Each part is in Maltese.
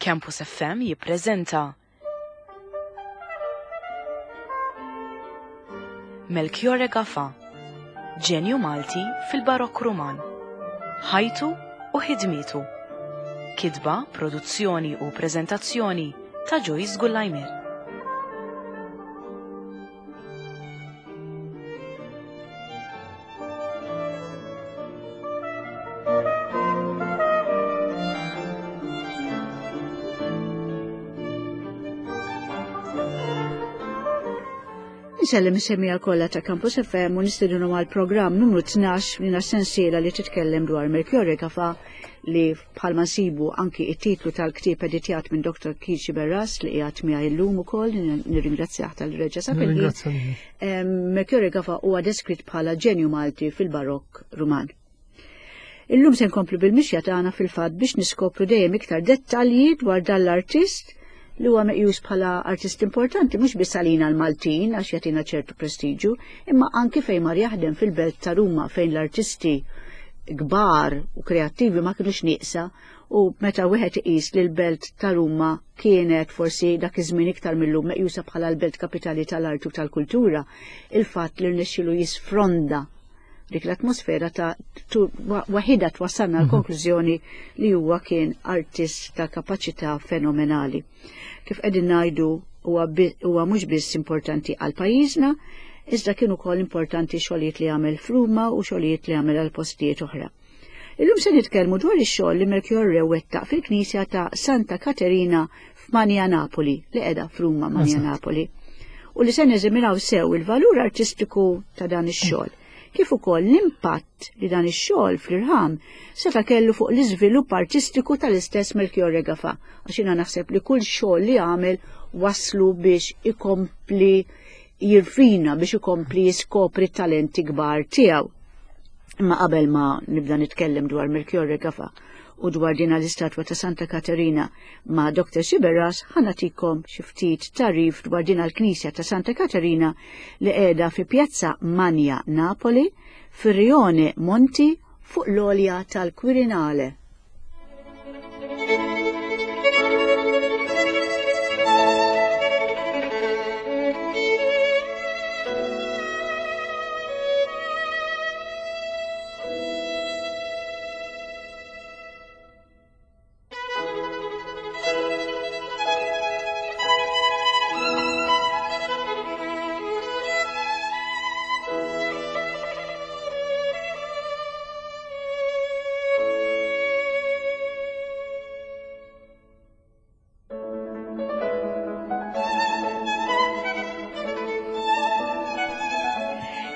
Campus FM jippreżenta Melchiorre Gafà, ġenju Malti fil-Barokk Ruman. Ħajtu u ħidmietu. Kitba, produzzjoni u preżentazzjoni ta' Joyce Gullajmir. Insellem is-semija kollha ta' Campus FM u nistedinu għal programm numru 12 minn sensiela li titkellem dwar Melchiorre Gafa li bħalma nsibu anki it-titlu tal-ktieb editjat minn Dr. Kici Berras li qiegħed miegħi llum ukoll nirringrazzjah tal-reġa sa fil-ħin. Melchiorre Gafa huwa deskritt bħala ġenju Malti fil-Barokk Ruman. Illum se nkomplu bil-mixja tagħna fil-fatt biex niskopru dejjem iktar dettalji dwar dan l-artist li huwa meqjus bħala artist importanti mhux biss għalina l-Maltin għax jagħtina ċertu prestiġu, imma anki fejn mar jaħdem fil-belt ta' Ruma fejn l-artisti kbar u kreattivi ma kinux nieqsa u meta wieħed iqis li l-belt ta' Ruma kienet forsi dak iż-żmien iktar millum meqjusa bħala l-belt kapitali tal-arti u tal-kultura, il-fatt li rnexxielu jisfronda dik l-atmosfera ta' waħida twassalna mhm. l-konklużjoni li huwa kien artist ta' kapaċità fenomenali. Kif qegħdin ngħidu huwa mhux biss importanti għal pajjiżna, iżda kien ukoll importanti xogħlijiet li għamel f'Ruma u xogħlijiet li għamel għal postijiet oħra. Illum se nitkellmu dwar ix-xogħol li Melchiorre wettaq fil-Knisja ta' Santa Katerina f'Manja Napoli, li qiegħda f'Ruma Manja Napoli, u li se neżaminaw sew il-valur artistiku ta' dan ix-xogħol, kif ukoll l-impatt li dan ix-xogħol fl-irħam seta' kellu fuq l-iżvilupp artistiku tal-istess Melchiorre Gafà, għax jiena naħseb li kull xogħol li għamel waslu biex ikompli jirfina biex ikompli jiskopri t-talenti kbar tiegħu. Imma qabel ma nibda nitkellem dwar Melchiorre Gafa u dwar din l-istatwa ta' Santa Katerina ma' Dr. Siberas ħanatikom xi ftit tarif dwar din l-Knisja ta' Santa Katerina li qiegħda fi Pjazza Manja Napoli fir-Rione Monti fuq l-olja tal-Quirinale.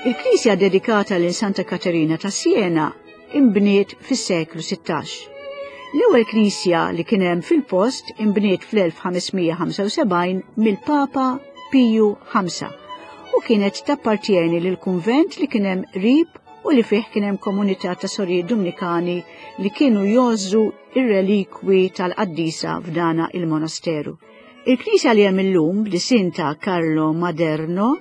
Il-knisja dedikata lil Santa Katerina ta' Siena imbniet fis-seklu 16. L-ewwel knisja li kien hemm fil-post imbniet fl-1575 mill-Papa Piju V u kienet tappartjeni lil kunvent li kien hemm qrib u li fih kien hemm komunità ta' sorijiet Dumnikani li kienu jgħożżu ir-relikwi tal-qaddisa f'dana il-monasteru. Il-knisja li hemm illum b'disinn ta' Carlo Maderno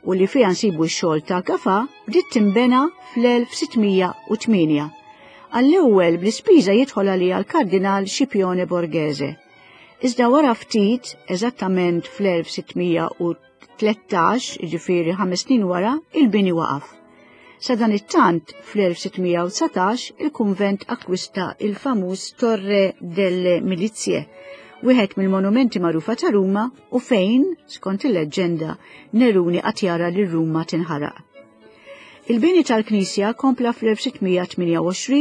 u li fiha nsibu x-xogħol ta' Gafà bdiet tinbena fl-1608. Għall-ewwel bl-ispiża jidħol għaliha l-Kardinal Scipione Borghese. Iżda wara ftit, eżattament fl-1613, 13, jiġifieri ħames snin wara, il-bini waqaf. Sadanittant, fl-1619, il-kunvent akkwista il-famuż Torre delle Milizie, wieħed mill-monumenti magħrufa ta' Ruma u fejn, skont il-leġġenda, Neruni qatt jara lil Ruma tinħaraq. Il-bini tal-knisja kompla fl-1628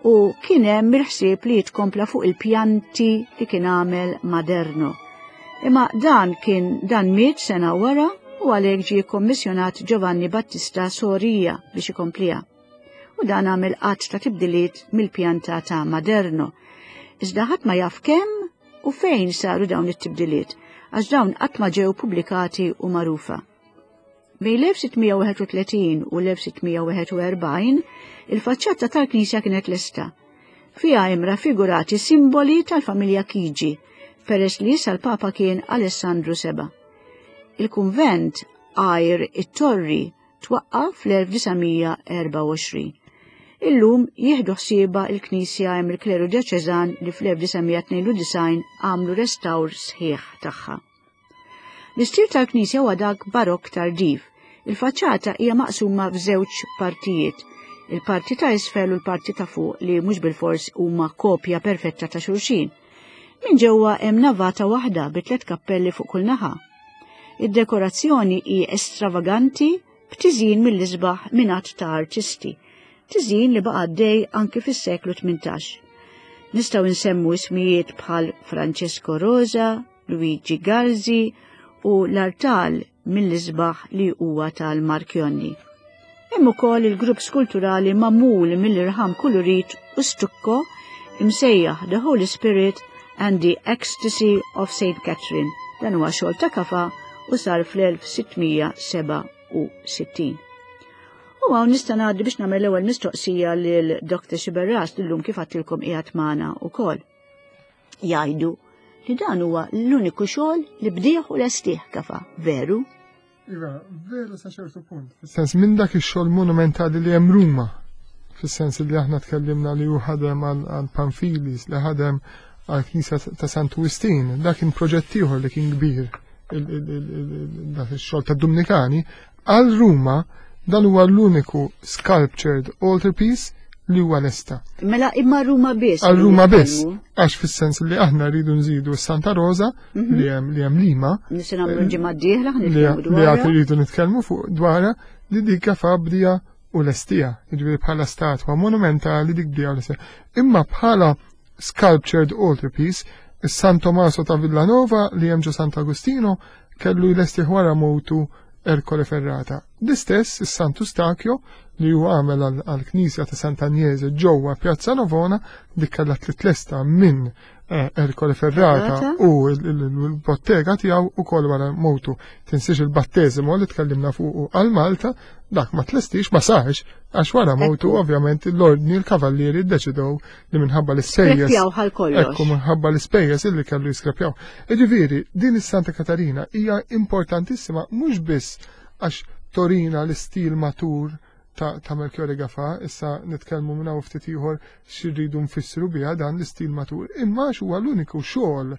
u kien hemm il-ħsieb li jitkompla fuq il-pjanti li kien għamel Maderno. Imma dan kien dan miet sena wara u għalhekk ġie kkommissjonat Giovanni Battista Soria biex ikompliha. U dan għamel qatt ta' tibdiliet mill-pjanta ta' Maderno. Iżda ħadd ma jaf kemm u fejn saru dawn it-tibdiliet, għax dawn qatt ma ġew pubblikati u magħrufa. Bejn l-1631 u l-1641, il-faċċata tal-knisja kienet lesta. Fiha hemm raffigurati simboli tal-familja Chigi, peress li issa l-Papa kien Alessandru Seba. Il-kunvent għajr it-torri twaqqa fl-1924. Illum jieħdu ħsiebha l-Knisja hemm il-kleru djoċeżan li fl-1992 għamlu restawr sħiħ tagħha. L-istil tal-knisja huwa dak barokk tardiv. Il-faċċata hija maqsuma f'żewġ partijiet, il-parti ta' isfel u l-parti ta' fuq li mhux bilfors huma kopja perfetta ta' xulxin. Minn ġewwa hemm navata waħda bi tliet kappelli fuq kull naħa. Id-dekorazzjoni hi estravaganti b'tiżjin mill-isbaħ minn għadd ta' artisti, tiżjin li baqa' għaddej anki fis-seklu 18. Nistgħu nsemmu ismijiet bħal Francesco Rosa, Luigi Garzi u l-artal mill-isbaħ li huwa tal-Marchionni. Hemm ukoll il-grupp skulturali magħmul mill-irħam kulurit u stukko imsejjaħ The Holy Spirit and the Ecstasy of St. Catherine. Dan huwa xogħol ta' kafa u sar fl-1667. U hawn nista' ngħaddi biex nagħmel l-ewwel mistoqsija lil Dr. Xiberras li kif għattilkom qiegħed magħna wkoll. Jgħidu li dan huwa l-uniku xogħol li bdieħ u lestih kafa, veru? Iva, veru sa ċertu punt. Fis-sens minn dak ix-xogħol monumentali li hemm Ruma, fis-sens li aħna tkellimna li hu ħadem għal Panfilis, li ħadem għal Knisja ta' Santu Wistin, dak kien proġett ieħor li kien kbir dak ix-xogħol ta' Dumnikani, għal Ruma dan huwa l-uniku sculptured altarpiece li huwa lesta. Mela imma Ruma biss. Għal Ruma biss, għax fis-sens li aħna rridu nżidu s-Santa Rosa mhm. li hemm li hemm Lima. Nista' nagħmlu ġimgħa d-dieħla li għad rridu nitkellmu fuq dwarha li dik fabdija u lestija, jiġifieri bħala statwa monumentali dik bdija u lestija. Imma bħala sculptured altarpiece, is-San Tomaso ta' Villanova li hemm ġo Sant'Agostino kellu jlesti wara mowtu Ercole Ferrata. L-istess is-Santu Stakio li huwa għamel għall-Knisja ta' Sant'Agnese ġewwa Pjazza Navona dik kellha titlesta minn eh, Ercole Ferrata u l-bottega tiegħu ukoll wara mowtu. Tinsiex il-batteżimo li tkellimna fuqu għal Malta, dak ma tlestix ma sarx għax wara mowtu ovvjament l-ordni l-kavallieri ddeċidew li minħabba l-ispejjeż. Ekku minħabba l-ispejjeż illi kellu jiskrepjaw. Jiġifieri din is-Santa Katarina hija importantissima mhux biss għax torina l-istil matur ta', ta Melchiorre Gafa, issa nitkellmu minn hawn ftit ieħor x'irridu nfissru biha dan l-istil matur, imma għax huwa l-uniku xogħol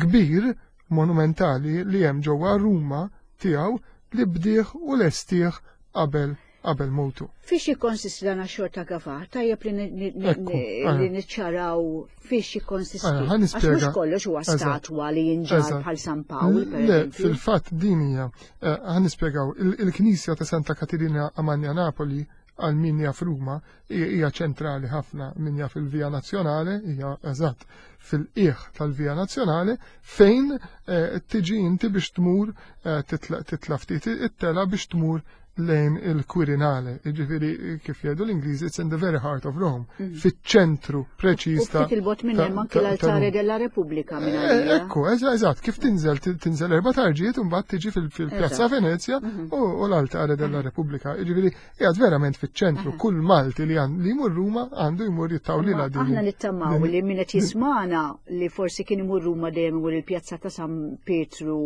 kbir monumentali li hemm ġewwa Ruma tiegħu li bdieh u lestih qabel qabel mowtu. Fiex jikkonsisti dan għax-xogħol ta' Gafa? Tajjeb li niċċaraw fiex jikkonsisti. Għax mhux kollox huwa statwa li jinġar bħal San Pawl. Le, fil-fatt din hija, eh, ħa nispjegaw, il-Knisja ta' Santa Katerina Amanja Napoli għal min jaf Ruma hija ċentrali ħafna min jaf il-Via Nazzjonale, hija eżatt fil-qiegħ tal-Via Nazzjonale fejn eh, tiġi inti biex tmur eh, titla' ftit it-tela biex tmur lejn il-Quirinale, jiġifieri kif jgħidu l-Ingliżi, it's in the very heart of Rome, mm. fiċ-ċentru preċiż ta' Ftit il-bot minn hemm anki l-altare della Repubblica minn eh, għalija. Ekku, eżatt, kif tinżel tinżel erba' tarġiet u mbagħad tiġi fil-Pjazza Venezia mhm. u l-altare della Repubblica. Jiġifieri qiegħed verament fiċ-ċentru, kull Malti li li jmur Ruma għandu jmur jittawlila din. Aħna nittamaw li min qed jismana li forsi kien imur Ruma dejjem imur il-Pjazza ta' San Pietru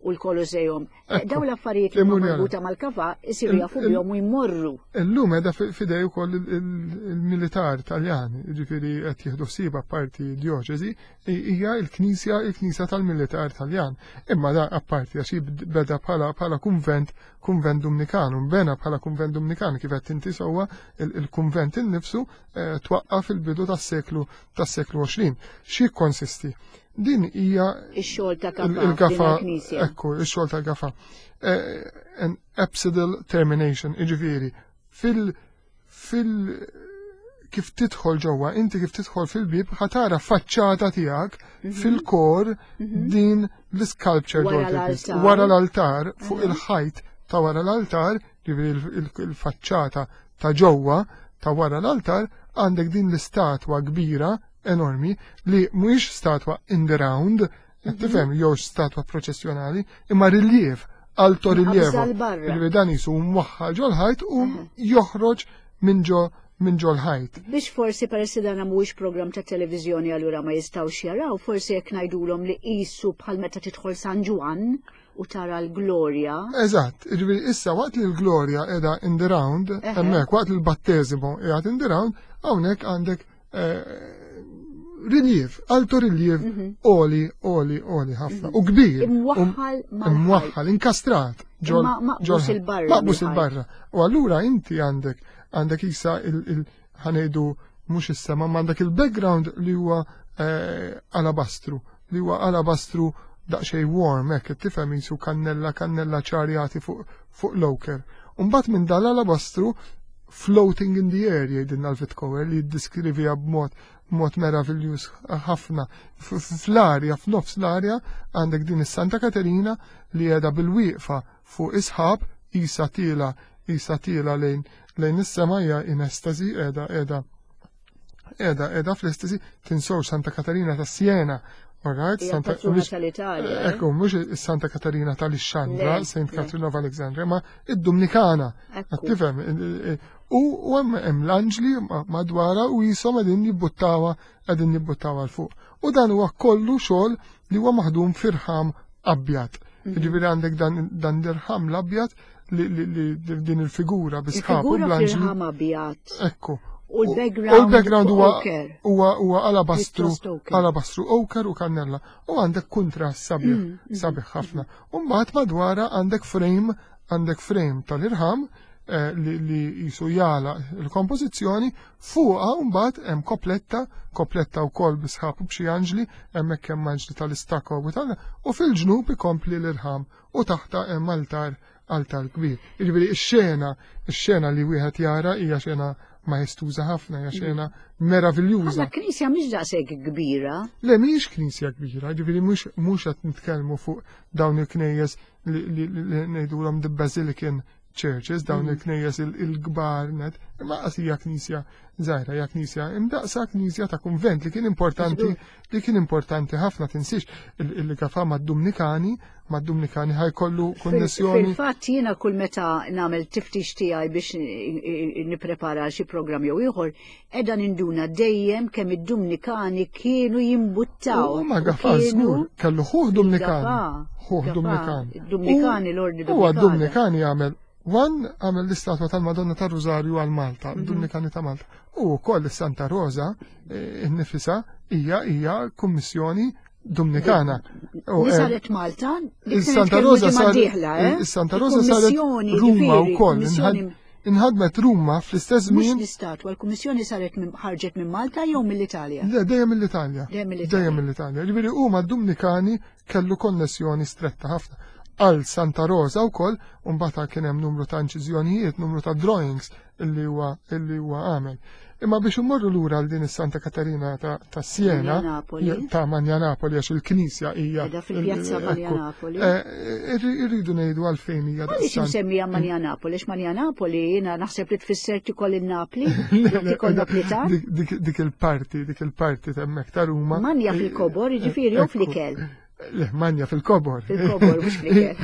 u l-Koloseum. Eh, daw l-affarijiet li huma marbuta mal-kafa isiru jafu bihom u jmorru. Illum qiegħda fidej ukoll il-militar Taljan, jiġifieri qed jieħdu ħsieb apparti djoċesi, hija l-knisja il-knisja tal-militar Taljan. Imma da apparti għax beda bħala bħala kunvent kunvent Dumnikan, u bena bħala kunvent Dumnikan kif qed inti sewwa il-kunvent innifsu eh, twaqqa fil-bidu tas-seklu tas-seklu 20. Xi konsisti? Din hija ix-xogħol ta' Gafa. Il-Gafa, ekku, ix-xogħol ta' Gafa. Eh, an apsidal termination, jiġifieri fil fil kif tidħol ġewwa, inti kif tidħol fil-bib ħatara faċċata tiegħek mhm. fil-kor mhm. din l-sculpture wara l-altar fuq mhm. il-ħajt ta' wara l-altar, ġifieri il-faċċata ta' ġewwa ta' wara l-altar għandek din l-istatwa kbira enormi li mhuwiex statwa in the round, qed mhm. tifhem jew statwa proċessjonali, imma riliev, alto rilievo. Ġifieri dan jisu mwaħħal ġol-ħajt u joħroġ minn ġo minn ġol-ħajt. Biex forsi peress li dan mhuwiex programm ta' televiżjoni allura ma jistgħux jaraw, forsi jekk ngħidulhom li qisu bħal meta tidħol San Ġwann u tara l-glorja. Eżatt, jiġifieri issa waqt li l-glorja qiegħda in the round, hemmhekk waqt li l-batteżimo qiegħed in the round, hawnhekk għandek eh, riliev, alto riliev mhm. oli, oli, oli ħafna. Mhm. U kbir. Imwaħħal Imwaħħal, inkastrat. Ġol, maqbus il-barra. Maqbus il-barra. U allura inti għandek, għandek isa il ħanejdu mux is-sema, ma għandek il-background li huwa eh, alabastru, li huwa alabastru daqsxejn warm, hekk tifhem jisu kannella, kannella ċarjati fuq fuq l-oker. Umbat minn dal-alabastru floating in the air jgħidilna l-Vitkower li jiddiskrivija b'mod mod meraviljuż ħafna. Fl-arja, f'nofs l-arja, għandek din is-Santa Katerina li qiegħda bil-wieqfa fuq isħab isa tila isa tila lejn lejn is-sema hija in estasi qiegħda qiegħda qiegħda qiegħda fl-estasi tinsew Santa Katerina ta' Siena. Alright, Santa tal-Italja. Eh? Ekku, mhux Santa Katerina tal-Ixxandra, Saint Catherine of Alexandria, ma id-Dominikana. Tifhem, u hemm l-anġli madwara u jisom qegħdin jibbuttawa qegħdin jibbuttawa l fuq. U dan huwa kollu xogħol li huwa maħdum firħam abjad. Mhm. Ġifieri għandek dan l-irħam l-abjad li din il-figura bi sħab u bl-anġli. abjad. Ekku. U l-background huwa huwa alabastru alabastru oker u kannella. U għandek kuntrast sabiħ mm, mm, sabiħ ħafna. U mbagħad madwara għandek frame għandek frame tal-irħam eh, li jisu jala il-kompożizzjoni fuqha mbagħad hemm kopletta, kopletta wkoll bi sħab u b'xi anġli, hemmhekk hemm anġli tal-istako u tal u fil-ġnub ikompli l-irħam u taħta hemm altar altar kbir. Jiġifieri x-xena, x-xena li wieħed jara hija xena majestuża ħafna, hija xena meraviljuża. Ma knisja mhix daqshekk kbira. Le mhix knisja kbira, jiġifieri mhux mhux qed nitkellmu fuq dawn il-knejjes li ngħidulhom the Basilican churches, dawn mm. il-knejjes il-kbar net, imma qas hija knisja żgħira, hija knisja imdaqsa knisja ta' kunvent li kien importanti li kien importanti ħafna tinsiex il-gafa mad-Dumnikani, mad-Dumnikani ħajkollu konnessjoni. Fil-fatt jiena kull meta nagħmel tiftix tiegħi biex nipprepara xi programm jew ieħor, Edha ninduna dejjem kemm id-Dumnikani kienu jimbuttaw. U ma Gafa żgur, kellu ħuh Dumnikani. Ħuh Dumnikani. Dumnikani l-ordni Dumnikani. Huwa Dumnikani għamel Wan għamel l-istatwa tal-Madonna ta' Rużarju għal Malta, mhm. Dumnikani ta' Malta. U wkoll is-Santa Rosa eh, innifisa hija hija kummissjoni Dumnikana. Li eh, saret Malta, Santa Rosa saret eh? Santa Rosa saret Ruma wkoll. Inħadmet Ruma fl-istess żmien. Mhux l-istatwa, l-kummissjoni saret ħarġet minn Malta jew mill-Italja? Le, dejjem mill-Italja. Dejjem mill-Italja. Ġifieri huma d-Dumnikani kellu konnessjoni stretta ħafna. Għal Santa Rosa wkoll, u mbagħad kien hemm numru ta' inċiżjonijiet, numru ta' drawings illi huwa illi huwa għamel. Imma biex immorru lura għal din is-Santa Katarina ta', ta Siena, ta' Manjanapoli għax il-knisja hija. Qiegħda fil-pjazza Manjanapoli. Eh, irridu ngħidu għalfejn hija. Għaliex insemmija Manjanapoli? Għax Manjanapoli jiena naħseb li tfisser tikol il-Napli, tikol Naplitan. Dik il-parti, dik il-parti t'hemmhekk ta' Ruma. Manja fil-kobor, jiġifieri jew fl-ikel. Le, manja fil-kobor. Fil-kobor, mux fl-ikel.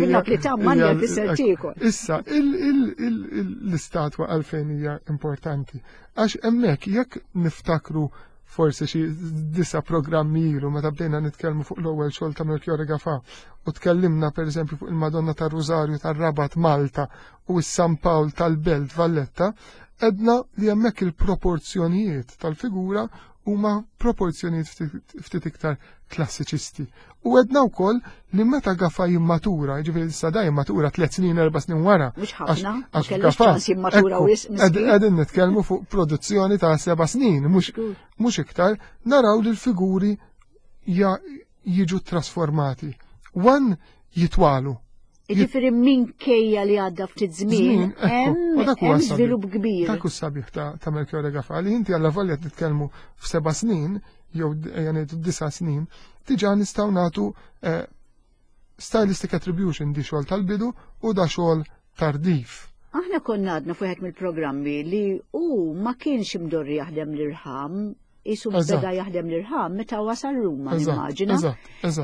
Bil-Naplitan manja fisser tikol. Issa, l-istatwa għalfejn hija importanti. Għax hemmhekk jekk niftakru forsi xi disa programmi ilu meta bdejna nitkellmu fuq l-ewwel xogħol ta' Melchiorre Gafà u tkellimna pereżempju fuq il-Madonna tar-Rużarju tar-Rabat Malta u s-San Pawl tal-Belt Valletta, edna li hemmhekk il-proporzjonijiet tal-figura huma proporzjonijiet ftit iktar klassiċisti. U għedna wkoll li meta Gafa jimmatura, jiġifieri issa da jimmatura tliet snin, erba' snin wara. Mhux ħafna, għax Gafa jimmatura wisq. Qegħdin nitkellmu fuq produzzjoni ta' seba' snin, mhux iktar, naraw li l-figuri jiġu trasformati. Wan jitwalu. Jiġifieri minkejja li għadda ftit żmien, hemm żvilupp kbir. Dak hu sabiħ ta' Melchiorre Gafa li inti alla volja titkellmu f'seba' snin jew ejja ngħidu disa' snin, diġà nistgħu nagħtu eh, stylistic attribution di xogħol tal-bidu u da xogħol tardif. Aħna konna għadna fuħet mill-programmi li hu ma kienx imdorri jaħdem l-irħam. isu beda jaħdem l-irħam meta wasal Ruma nimmaġina.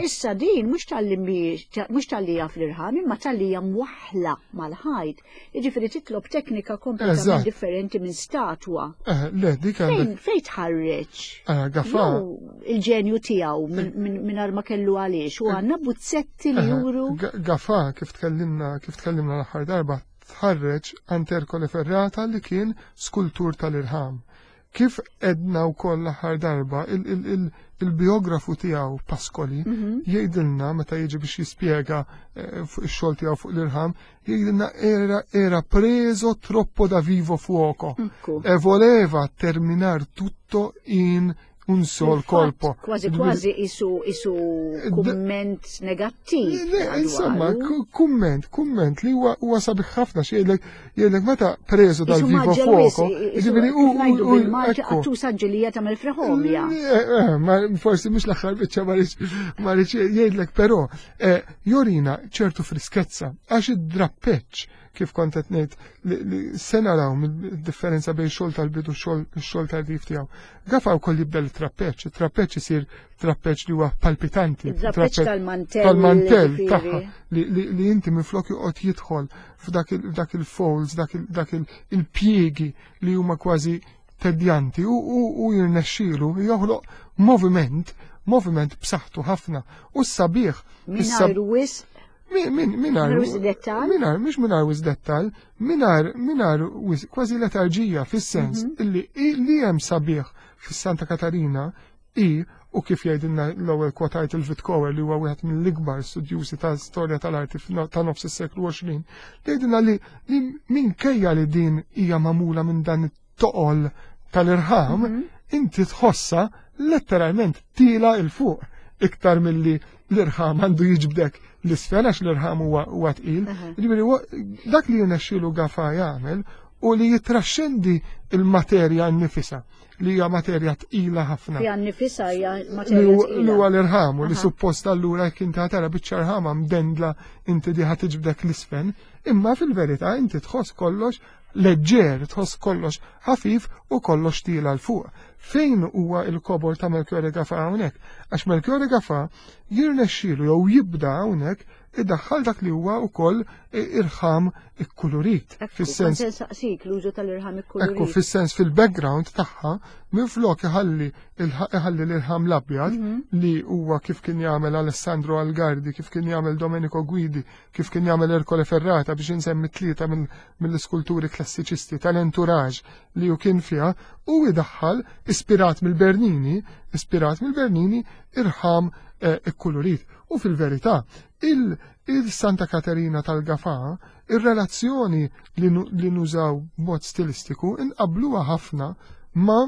Issa din mhux talli mhux talli jaf l-irħam imma talli hija mwaħħla mal-ħajt. Jiġifieri titlob teknika kompletament differenti minn statwa. Eh, le, dik għandek. Fejn tħarreġ? Eh, Gafà. Il-ġenju tiegħu mingħajr ma kellu għaliex u għandna buzzetti li juru. Gafà kif tkellimna kif tkellimna l-aħħar darba tħarreġ għand Ercole Ferrata li kien skultur tal-irħam. Kif edna wkoll l-aħħar darba, il-biografu tiegħu Pascoli mhm. jgħidilna meta jiġi biex jispjega eh, fuq ix-xogħol tiegħu fuq l-irħam, jgħidilna era era preso troppo da vivo fuoco e voleva terminar tutto in un sol colpo. Kważi kważi isu isu kumment negattiv. Insomma, kumment, kumment li huwa sabiħ ħafna xi jgħidlek jgħidlek meta preżu dal-vivo fuoco. Ġifieri u bil-Malti qattusa ġilija tagħmel freħomja. Eh, eh, ma forsi mhux l-aħħar biċċa ma rridx jgħidlek però eh, jorina ċertu friskezza għax id-drappeċ kif kont qed ngħid li se naraw mid-differenza bejn xogħol tal-bidu xogħol tal-rif tiegħu. Gafa wkoll jibda l-trappeċ, it-trappeċ isir trappeċ li huwa palpitanti. Trappeċ tal-mantell. Tal-mantell tagħha li inti minflok joqgħod jidħol f'dak il-folds, dak il-pjiegi li huma kważi tedjanti u jirnexxielu joħloq moviment moviment b'saħħtu ħafna u s-sabiħ. Mingħajr wisq Minar wis dettal? Minar, mhux minar wis dettal, minar, minar wis kważi letarġija fis-sens mhm. illi li hemm sabiħ fis-Santa Katarina i u kif jgħidilna l-ewwel kwotajt il-Vitkower li huwa wieħed mill-ikbar studjużi ta' storja tal-arti ta' nofs is-seklu 20, jgħidilna li minkejja li din hija magħmula minn dan it-toqol tal-irħam, mhm. inti tħossa letteralment tila il fuq iktar milli l-irħam għandu jiġbdek l-isfel għax l-irħam huwa tqil. Ġifieri dak li jirnexxielu Gafa jagħmel u li jitraxxendi il-materja nnifisha li hija materja tqila ħafna. Hija nnifisha hija materja tqila. Li huwa l-irħam u li suppost allura jekk inti tara biċċa rħama mdendla inti diħa tiġbdek l-isfel, imma fil-verità inti tħoss kollox leġġer, tħoss kollox ħafif u kollox tila 'l fuq. Fejn huwa il-kobor ta' Melchiorre Gafà hawnhekk? Għax Melchiorre Gafà jirnexxielu jew jibda hawnhekk idaħħal dak li huwa wkoll irħam ikkulurit. Fis-sens saqsik l-użu tal-irħam ikkulurit. Ekku, fis-sens fil-background tagħha minflok iħalli iħalli l-irħam l-abjad mhm. li huwa kif kien jagħmel Alessandro Algardi, kif kien jagħmel Domenico Guidi, kif kien jagħmel Ercole Ferrata biex insemmi tlieta mill-iskulturi klassiċisti tal-entourage li hu kien fiha u idaħħal ispirat mill-Bernini, ispirat mill-Bernini irħam eh, ikkulurit. U fil-verità, il-Santa Katerina tal-Gafà, ir-relazzjoni li nużaw b'mod stilistiku inqabluha ħafna ma'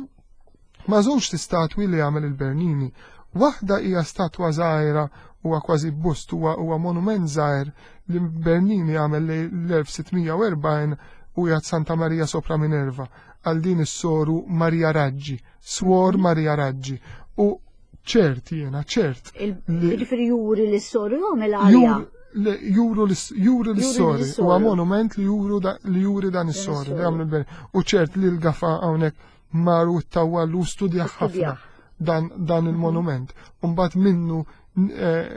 ma' żewġt istatwi li għamel il-Bernini. Waħda hija statwa żgħira huwa kważi bust huwa huwa monument żgħir li Bernini għamel l-1640 u jgħad Santa Maria sopra Minerva għal din is-soru Maria Raggi, Swor Maria Raggi. U ċert jiena, ċert. Ġifieri juri li s-soru jagħmel għalija. Juru l-sori, huwa monument li juru li juri dan is-sori li għamlu l-Bernini. U ċert li l-gafa hawnhekk mar u ttawwal u studja ħafna dan, dan il-monument. Umbat minnu eh,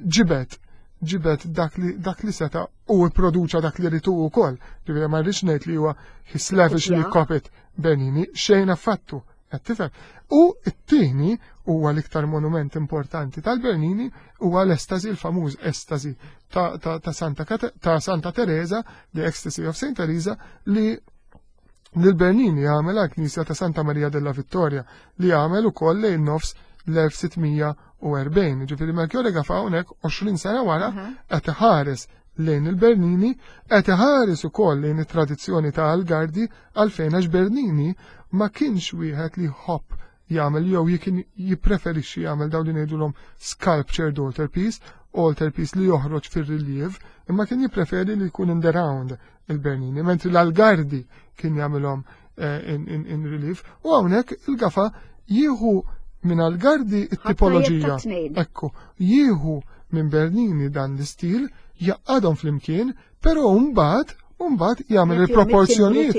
ġibet ġibet dak li, dak li seta u produċa dak li ritu u koll. Ġibet ma rridx ngħid li huwa he slavishly copied Bernini, xejn affattu. Qed tifhem? U t-tieni huwa l-iktar monument importanti tal-Bernini huwa l-estasi, l-famuż estasi ta', ta, ta, Santa, ta' Santa Teresa, the Ecstasy of Saint Teresa, li li l-Bernini għamel għal knisja ta' Santa Maria della Vittoria li għamel ukoll lejn nofs l-1640. Ġifieri Melchiorre Gafà hawnhekk 20 sena wara qed iħares lejn il-Bernini, qed iħares ukoll lejn it-tradizzjoni ta' Algardi għalfejn għax Bernini ma kienx wieħed li jħobb jagħmel jew kien jippreferixxi jagħmel dawn li ngħidulhom sculptured altarpiece, altarpiece li joħroġ fir-riliev, imma kien jippreferi li jkun in the round il-Bernini, mentri l-Algardi kien jagħmilhom eh, in, in, in relief, u hawnhekk il-gafa jieħu minn Algardi it-tipoloġija. Ekku, jieħu minn Bernini dan l-istil, jaqadhom flimkien, però mbagħad u mbagħad jagħmel il-proporzjonijiet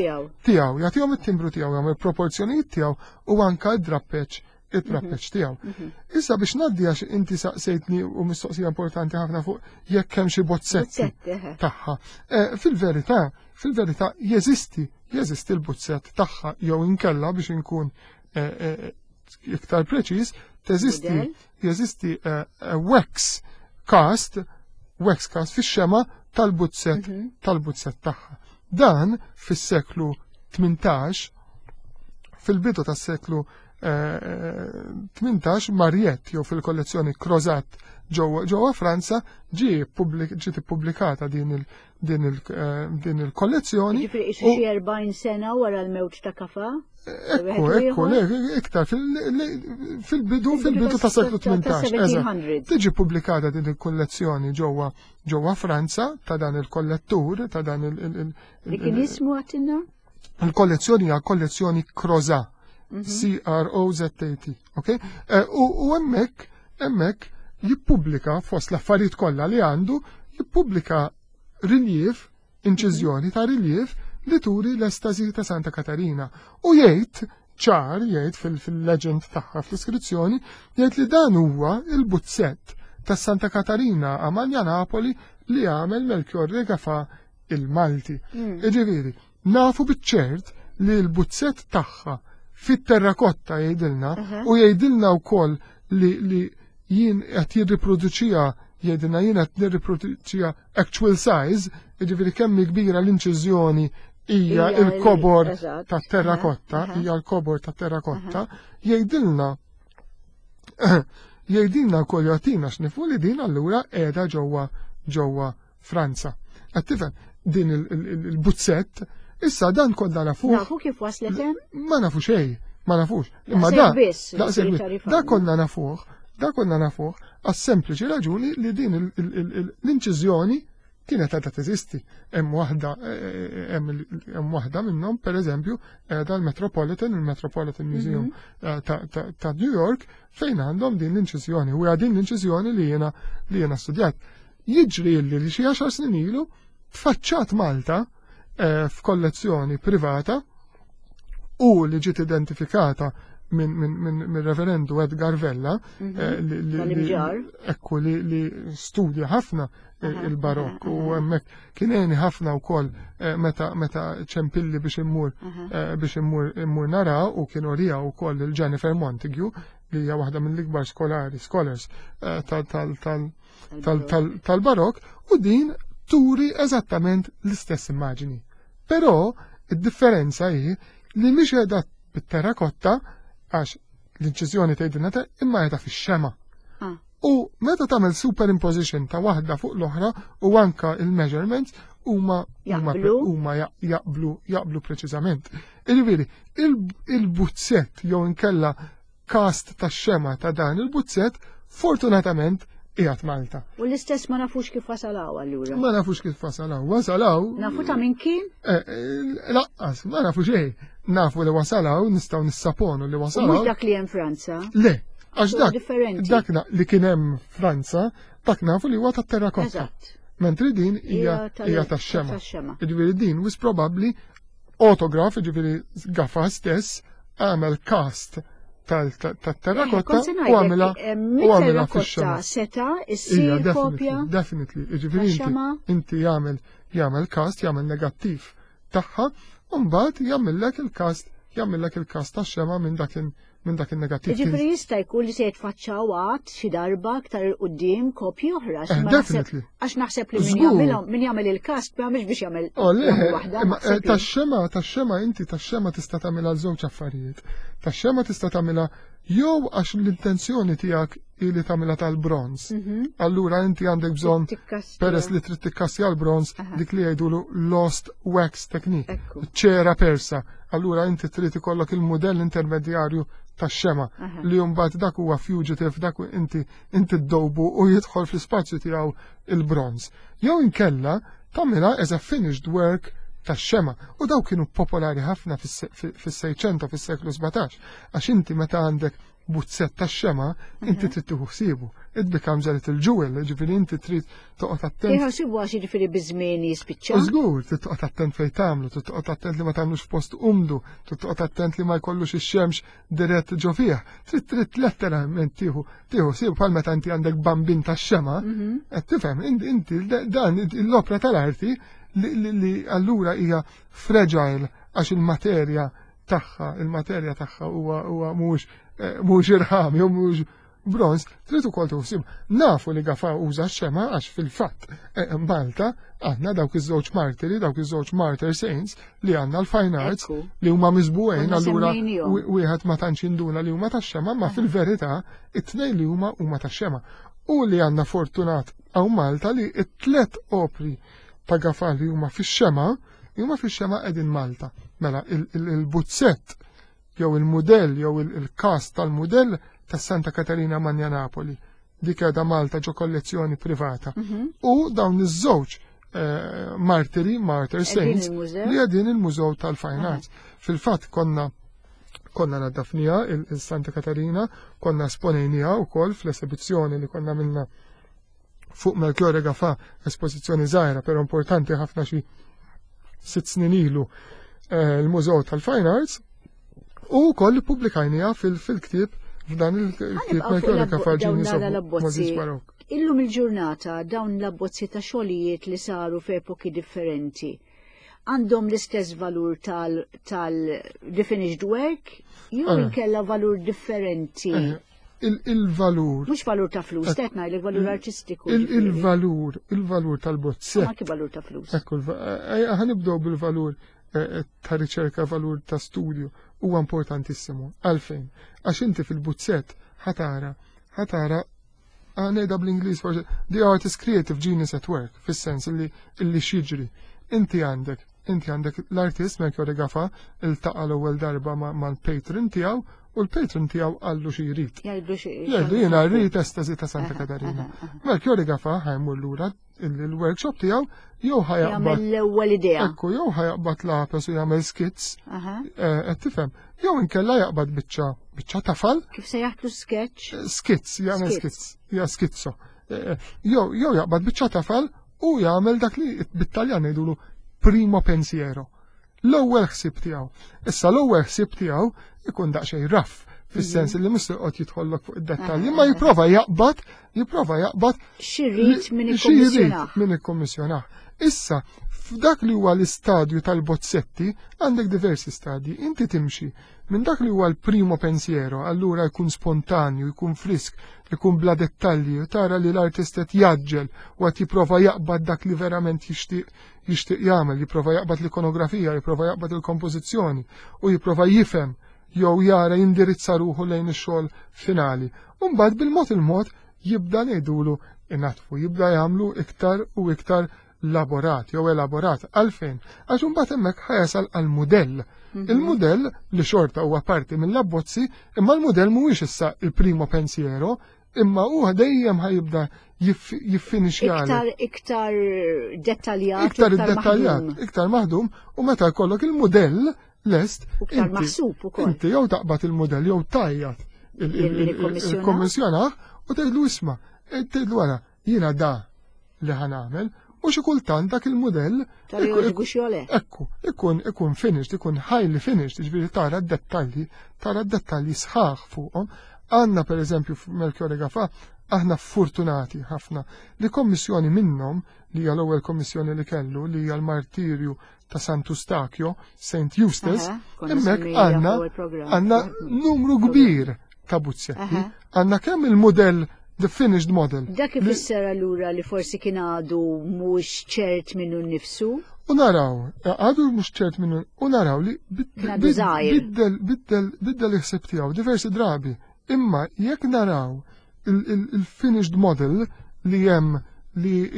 tiegħu, jagħtihom it-timbru tiegħu, jagħmel il-proporzjonijiet tiegħu u anka d-drappeġġ it-trappeċ mhm. tiegħu. Mhm. Issa biex ngħaddi għax inti saqsejtni u mistoqsija importanti ħafna fuq jekk hemm xi bozzetti tagħha. Eh, fil-verità, fil-verità jeżisti, jeżisti l-bozzett tagħha jew inkella biex inkun eh, eh, iktar preċiż, teżisti jeżisti wax cast, wax cast fix-xema tal-buzzett mhm. tal-buzzett tagħha. Dan fis-seklu 18 fil-bidu tas-seklu 18 Mariette jew fil-kollezzjoni Crozat ġewwa Franza ġie ġiet ippubblikata din il din il eh, din il-kollezzjoni. Ġifieri xi 40 sena wara l-mewt ta' Kafa? Ekku, ekku, iktar fil-bidu fil-bidu ta' seklu 18. Tiġi pubblikata din il-kollezzjoni ġewwa ġewwa Franza ta' dan il-kollettur ta' dan il- Li kien jismu għatinna? Il-kollezzjoni hija kollezzjoni Crozat. Mhm. C-R-O-Z-A-T. Ok? Eh, u hemmhekk hemmhekk jippubblika fost l-affarijiet kollha li għandu, jippubblika riliev, inċiżjoni ta' riliev li turi l-estasi ta' Santa Katarina. U jgħid ċar, jgħid fil-legend tagħha fl-iskrizzjoni, jgħid li dan huwa il-buzzett ta' Santa Katarina Amalja Napoli li għamel Melchior Regafa il-Malti. Mm. Iġifieri, nafu biċ-ċert li l-buzzett tagħha fit-terrakotta jgħidilna u jgħidilna wkoll li, li jien qed jirriproduċija jgħidilna jien qed nirriproduċija actual size, jiġifieri kemm kbira l-inċiżjoni hija il-kobor tat-terrakotta, hija l-kobor tat-terrakotta, jgħidilna jgħidilna wkoll jagħtina x'nifu li din allura qiegħda ġewwa ġewwa Franza. Qed tifhem din il-buzzett, issa dan kollha nafuh. Nafu kif waslet hemm? Ma nafu xejn, ma nafux. Imma da, da konna nafuh, da konna nafuh għas-sempliċi raġuni li din l-inċiżjoni kienet għadha teżisti. Hemm waħda eh, hemm waħda minnhom pereżempju qiegħda l-Metropolitan, il-Metropolitan Museum mhm. eh, ta' New York fejn għandhom din l-inċiżjoni. U din l-inċiżjoni li jiena li jiena studjat. Jiġri li li xi għaxar snin ilu tfaċċat Malta eh, f'kollezzjoni privata u li ġiet identifikata minn min, min, min reverendu Edgar Vella mhm. eh, li, ekku li, li studja ħafna eh, il-barokk u hemmhekk kien għeni ħafna wkoll meta meta ċempilli biex immur biex immur immur nara u kien orija wkoll il-Jennifer Montague li hija waħda mill-ikbar skolari scholars tal-barok u din turi eżattament l-istess immaġini. Però id-differenza hi li mhix qiegħda bit-terrakotta għax l-inċiżjoni tgħidilna ta' imma qiegħda fix-xema. Ah. U meta tagħmel superimposition ta' waħda fuq l-oħra u anka il-measurements huma huma jaqblu jaqblu preċiżament. Jiġifieri, il-buzzett jew inkella cast tax-xema ta' dan il-buzzett fortunatament qiegħed Malta. U l-istess ma nafux kif wasalaw allura. Ma nafux kif wasalaw. Wasalaw. Nafu ta' min kien? Eh, eh, laqqas, ma nafu xejn. Nafu li wasalaw, nistgħu nissaponu li wasalaw. Mhux dak li hemm Franza. Le, għax dak dak li kien hemm Franza, dak nafu li huwa tat-terrakotta. Mentri din hija tax-xema. Jiġifieri din wis probabbli autograf, ġifiri Gafa stess, għamel cast tal-terrakotta eh, u għamela eh, u għamela fix-xema. Seta issir kopja. Definitely, ġifiri inti jagħmel jagħmel cast, jagħmel negattiv tagħha, u mbagħad jagħmellek il-cast jagħmellek il-cast tax-xema minn dak minn dak il-negattiv. Ġifri jista' jkun li se jitfaċċaw għad xi darba aktar il qudiem kopji oħra. Eh, definitely. Għax naħseb li min jagħmilhom min jagħmel il-kast ma jagħmilx biex jagħmel oh, waħda. Eh, tax-xema, tax-xema inti tax-xema tista' tagħmilha żewġ affarijiet. Tax-xema tista' tagħmilha jew għax l-intenzjoni tiegħek li tagħmilha tal-bronz. Mhm. Allura inti għandek bżonn peress li trid tikkassja l-bronz dik li jgħidulu lost wax technique, ċera persa. Allura inti trid ikollok il-mudell intermedjarju tax-xema li mbagħad dak huwa fugitive dak inti inti ddobu u jidħol fl-ispazju tiegħu il-bronz. Jew inkella tagħmilha as a finished work tax-xema u daw kienu popolari ħafna fis-Seicento fis-seklu 17 għax inti meta għandek. buzzett tax-xema, inti trid tieħu ħsiebu. It becomes a little jewel, ġifieri inti trid toqgħod attent. Tieħu ħsiebu għax jiġifieri biż-żmien jispiċċa. Żgur, trid toqgħod attent fejn tagħmlu, trid toqgħod attent li ma tagħmlux f'post umdu, trid toqgħod attent li ma jkollux ix-xemx dirett ġo fih. Trid trid letteralment tieħu tieħu ħsieb bħal meta inti għandek bambin tax-xema, qed tifhem inti dan l-opra tal-arti li allura hija fragile għax il-materja tagħha, il-materja tagħha huwa huwa mhux eh, mhux irħam jew mhux bronz, trid ukoll tħossib. Nafu li Gafa uża x-xema għax fil-fatt eh, Malta għandna dawk iż-żewġ martiri, dawk iż-żewġ martyr saints li għandna l-fine arts li huma miżbugħin allura wieħed ma tantx induna li huma tax-xema, ma fil-verità it-tnejn li huma huma tax-xema. U li għandna fortunat hawn Malta li t-tlet opri ta' Gafa li huma fix-xema Huma fix-xema qegħdin Malta. Mela il-buzzett jew il-mudell jew il-kas tal-mudell ta' Santa Katarina Manja Napoli dik qiegħda Malta ġo kollezzjoni privata. Mhm. U dawn iż-żewġ eh, martiri, martyr saints, li qegħdin il-Mużew tal-Fine Arts. Fil-fatt konna konna naddafnija il-Santa Katarina, konna esponejnija u koll fl-esibizzjoni li konna minna fuq Melchiorre Gafà, espożizzjoni żgħira però importanti ħafna xi sitt snin ilu eh, l-Mużew tal-Fine Arts u wkoll ippubblikajniha fil-ktieb f'dan il-ktieb Melchiorre Gafà Genius of Moses Baroque. Illum il-ġurnata dawn l-abbozzi ta' xogħlijiet li saru f'epoki differenti għandhom l-istess valur tal-the finished work jew eh. inkella valur differenti. Eh, il-valur. Mhux valur ta' flus, qed ngħidlek valur artistiku. Il-valur, il-valur tal-bozzett. Ma valur ta' flus. Ekku, eh, ħanibdew bil-valur eh, ta' riċerka, valur ta' studju, huwa importantissimu. Għalfejn? Għax inti fil-buzzett ħatara, ħatara ngħidha bl-Ingliż forsi, the art is creative genius at work, fis-sens li illi xiġri. Inti għandek, inti għandek l-artist Melchior Gafa iltaqa' l-ewwel darba mal-patron tiegħu u l-patron tiegħu qallu xi jrid. Jgħidlu xi Jgħidlu jiena rrid estasi ta' Santa Katarina. Melchior Gafa ħajmur lura il-workshop tiegħu jew ħajaqbad l-ewwel idea. Ekku, jew ħajaqbad lapes u jagħmel skits. Eh, qed tifhem. Jew inkella jaqbad biċċa biċċa tafal. Kif se jaħtlu sketch? Eh, skits, jagħmel skits, ja skizzo. Eh, jew jew jaqbad biċċa tafal u jagħmel dak li bit-Taljan jgħidulu primo pensiero. L-ewwel ħsieb tiegħu. Issa l-ewwel ħsieb tiegħu ikun daqsxejn raff fis-sens li mhux joqgħod jidħollok fuq id-dettalji, ma jipprova jaqbad, jipprova jaqbad xirrid min ikkommissjonah. Min ikkommissjonah. Issa, f'dak li huwa l-istadju tal-bozzetti, għandek diversi stadji. Inti timxi minn dak li huwa l-primo pensiero, allura jkun spontanju, jkun frisk, jkun bla dettalji, tara li l-artist qed jaġġel u qed jipprova jaqbad dak li verament jixtieq jixtieq jagħmel, jipprova jaqbad l-ikonografija, jipprova jaqbad il-kompożizzjoni u jipprova jifhem jew jara jindirizza ruħu lejn ix-xogħol finali. U mbagħad bil-mod il-mod jibda ngħidulu inatfu, jibda jagħmlu iktar u iktar laborat jew elaborat. Għalfejn? Għax imbagħad hemmhekk ħajasal għal mudell. Mhm. Il-mudell li xorta huwa parti mill-abbozzi, imma l-mudell mhuwiex issa il-primo pensiero, imma huwa dejjem ħajibda jiffinixjali. Iktar iktar dettaljat. Iktar dettaljat, iktar maħdum u meta jkollok il-mudell lest. Iktar maħsub ukoll. Inti jew taqbad il-mudell jew tajjat il-kommissjonah u tgħidlu isma' tgħidlu wara jiena da li ħanamel u xi kultant dak il-mudell Ekku, ikun ikun finished, ikun highly finished, jiġifieri tara d-dettalji, tara d-dettalji sħaħ fuqhom. Għandna pereżempju f'Melchiore Gafa, aħna fortunati ħafna li kommissjoni minnhom li hija l-ewwel kommissjoni li kellu li hija l-martirju ta' Sant'Ustakio, St. Eustace, hemmhekk għandna għandna numru kbir ta' buzzetti, għandna kemm il-mudell the finished model. Dak ifisser allura li forsi kien għadu mhux ċert minnu nnifsu? U naraw, għadu mhux ċert minnu, u naraw li biddel biddel biddel il-ħsieb tiegħu diversi drabi. Imma jekk naraw il-finished model li hemm li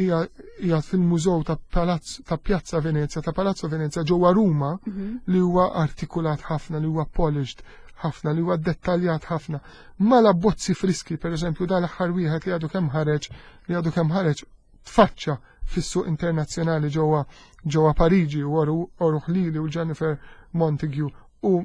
hija fil-mużew ta' Palazzo ta' Piazza Venezia, ta' Palazzo Venezia ġewwa Ruma mhm. li huwa artikulat ħafna, li huwa polished ħafna, li huwa dettaljat ħafna. Mala bozzi friski, per eżempju, dal-aħħar wieħed li għadu kemm ħareġ, li għadu kemm ħareġ tfaċċa fis-suq internazzjonali ġewwa ġewwa Pariġi u Oru Ħlili u Jennifer Montague u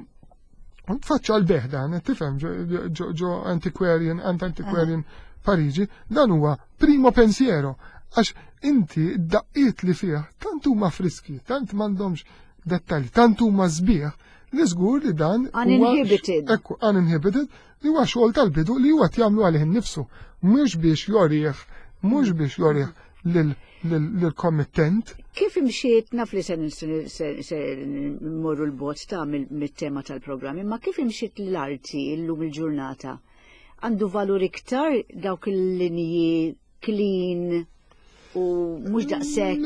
Tfaċċa l-beħ dan, tifhem ġo antiquarian, ant antiquarian Pariġi, dan huwa primo pensiero għax inti d-daqqiet li fih tant huma friski, tant m'għandhomx dettalji, tant huma sbieħ li żgur li dan uninhibited. Ekku, uninhibited li huwa xogħol tal-bidu li huwa jagħmlu għalih innifsu, mhux biex jorih, mhux biex jorih lill-kommittent. Kif imxiet naf li se mmorru l-bot ta' mit-tema tal-programm, imma kif imxiet l-arti llum il-ġurnata? Għandu valur iktar dawk il-linji clean u mhux daqshekk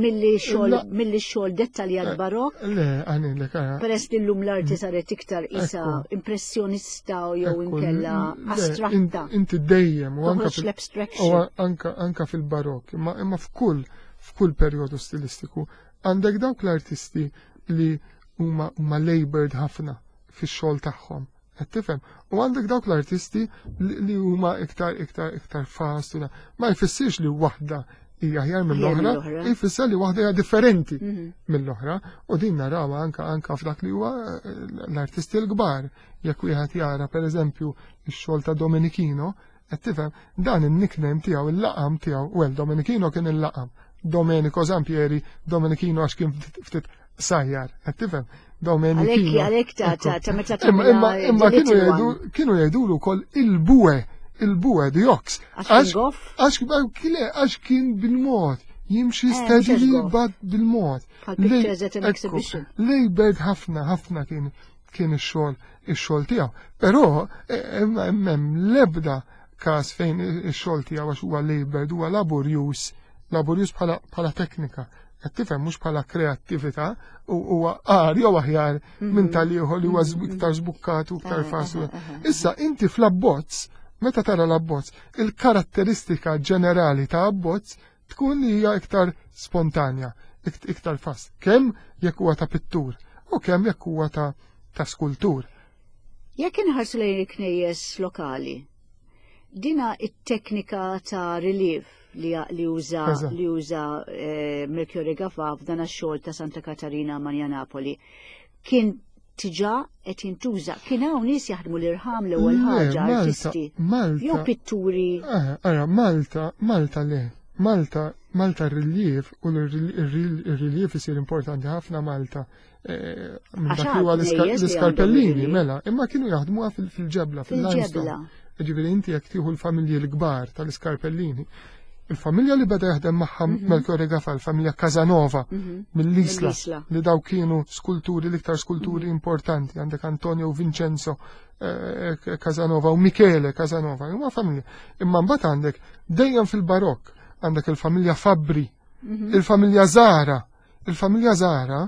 milli xogħol milli xogħol dettaljat eh, barok. Le, għanilek. Eh. Peress li llum l-arti saret iktar isa impressjonista jew inkella astratta. Inti dejjem u anka l-abstraction. Anka fil-barok, imma f'kull f'kull perjodu stilistiku għandek dawk l-artisti li huma huma labored ħafna fix-xogħol tagħhom. Qed tifhem? U għandek dawk l-artisti li huma iktar iktar iktar fast. Ma jfissirx li waħda hija aħjar mill-oħra, jfisser li waħda hija differenti mhm. mill-oħra. U din narawha anka anka f'dak li huwa eh, l-artisti l-kbar. Jekk wieħed jara pereżempju x-xogħol ta' Domenichino, qed tifhem, dan in-nickname tiegħu, il-laqam tiegħu, well Domenichino kien il-laqam. Domenico Zampieri, Domenichino għax kien ftit sajjar, qed tifhem? Domenichino. Għalhekk ta' ta' ta' meta Imma imma kienu jgħidu kienu jgħidulu wkoll il-bue, il-bue the ox. Għax għax kien bil-mod jimxi eh, steadily but bil-mod. Lejbed ħafna ħafna kien kien ix-xogħol ix-xogħol tiegħu. Però eh, hemm l-ebda każ fejn ix-xogħol tiegħu għax huwa labored huwa laborjus, laborjus bħala teknika. Qed tifhem mhux bħala kreattività u huwa qar jew aħjar minn mhm. tal-ieħor li huwa mhm. iktar żbukkat u iktar eh, faċli. Eh, eh, Issa inti fl-abbozz, meta tara l-abbozz, il-karatteristika ġenerali ta' abbozz tkun li hija iktar spontanja, iktar fast. Kemm jekk huwa ta' pittur u kemm jekk huwa ta' ta' skultur. Jekk inħarsu lejn il-knejjes lokali, dina it-teknika ta' relief li, li uża li uża eh, Melchiorre Gafà f'dan għax-xogħol ta' Santa Katarina Manja Napoli kien tiġa qed jintuża. Kien hawn nies jaħdmu l-irħam l-ewwel ħaġa artisti. Malta. Jew pitturi. Eh, ara, Malta, Malta le. Malta, Malta r-relief u l-relief isir importanti ħafna Malta. Eh, minn dak li huwa l-iskarpellini, mela, imma kienu jaħdmuha fil-ġebla, fil-ġebla. Ġifieri inti jekk tieħu l-familji l-kbar tal-iskarpellini, il-familja li beda jaħdem magħha mhm. Melchiorre Gafa, il-familja Casanova mhm. mill-Isla, li daw kienu skulturi, l-iktar skulturi mhm. importanti, għandek Antonio Vincenzo eh, Casanova u Michele Casanova, huma familja. Imma mbagħad għandek dejjem fil-Barokk, għandek il-familja Fabri, il-familja Zara, Il-familja Zara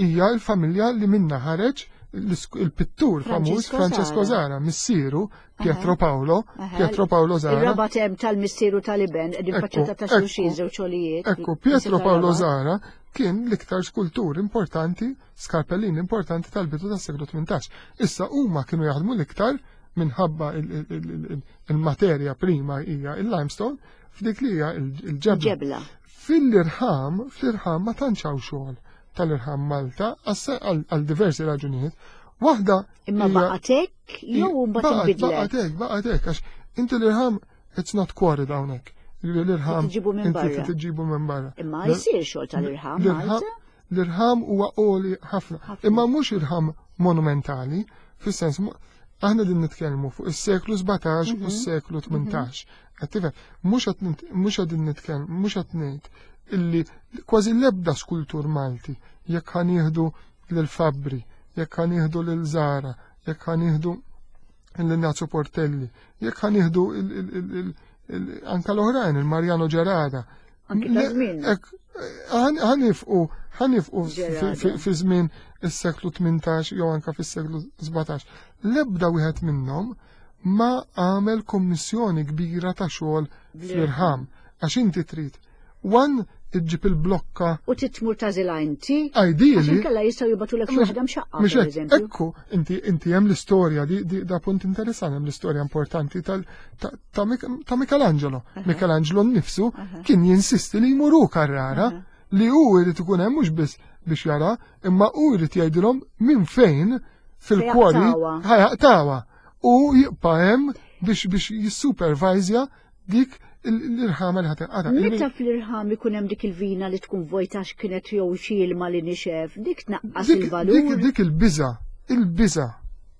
hija l-familja li minna ħareġ il-pittur famuż Francesco Zara, missieru Pietro Paolo, Pietro Paolo Zara. Ir-raba tem tal-missieru tal-iben, qegħdin faċċata ta' xulxin żewġ xogħlijiet. Ekku, Pietro Paolo Zara kien l-iktar skultur importanti, skarpellin importanti tal-bidu tas-seklu 18. Issa huma kienu jaħdmu l-iktar minħabba il-materja prima hija il-limestone f'dik li hija il-ġebla. Fil-irħam, fl-irħam ma tantx hawn xogħol tal-irħam Malta għal diversi raġunijiet. Waħda. Imma baqgħet hekk jew mbagħad inbidlet. Baqgħet hekk, baqgħet hekk għax inti l-irħam it's not quarried hawnhekk. L-irħam tiġibu minn barra. Tiġibu minn barra. Imma jsir xogħol tal-irħam Malta. L-irħam huwa għoli ħafna. Imma mhux irħam monumentali, fis-sens aħna din nitkellmu fuq is-seklu 17 u mhm. s-seklu 18. Qed tifhem, mhux qed mhux qegħdin nitkellem, mhux qed ngħid illi kważi l-ebda skultur Malti jekk ħa nieħdu lil Fabri, jekk ħa nieħdu lil Zara, jekk ħa nieħdu lil Nazio Portelli, jekk ħa nieħdu anka l-oħrajn, il-Mariano Gerada. Anki ta' żmien. Ħanifqu, ħanifqu fi żmien is-seklu 18 jew anka fis-seklu 17. L-ebda wieħed minnhom ma għamel kommissjoni kbira ta' xogħol fl-irħam għax inti trid one iġġib il-blokka. U titmur tażilha inti. Ideally. Għax inkella jistgħu jibgħatulek xi waħda mxaqqa. Mhux hekk, ekku, inti inti hemm l-istorja di, di da punt interessanti hemm l-istorja importanti tal ta, ta, ta Michelangelo. Michelangelo nnifsu kien jinsisti li jmuru Carrara li hu jrid ikun hemm mhux biss biex jara, imma hu jrid jgħidilhom minn fejn. fil-kwori ħa jaqtgħuha u jibqa' hemm biex biex jissupervajzja dik l-irħama li ħa tinqata'. Meta fl-irħam ikun hemm dik il-vina li tkun vojta għax kienet jew xi ilma li nixef, dik tnaqqas il-valur. Dik il-biża, il-biża,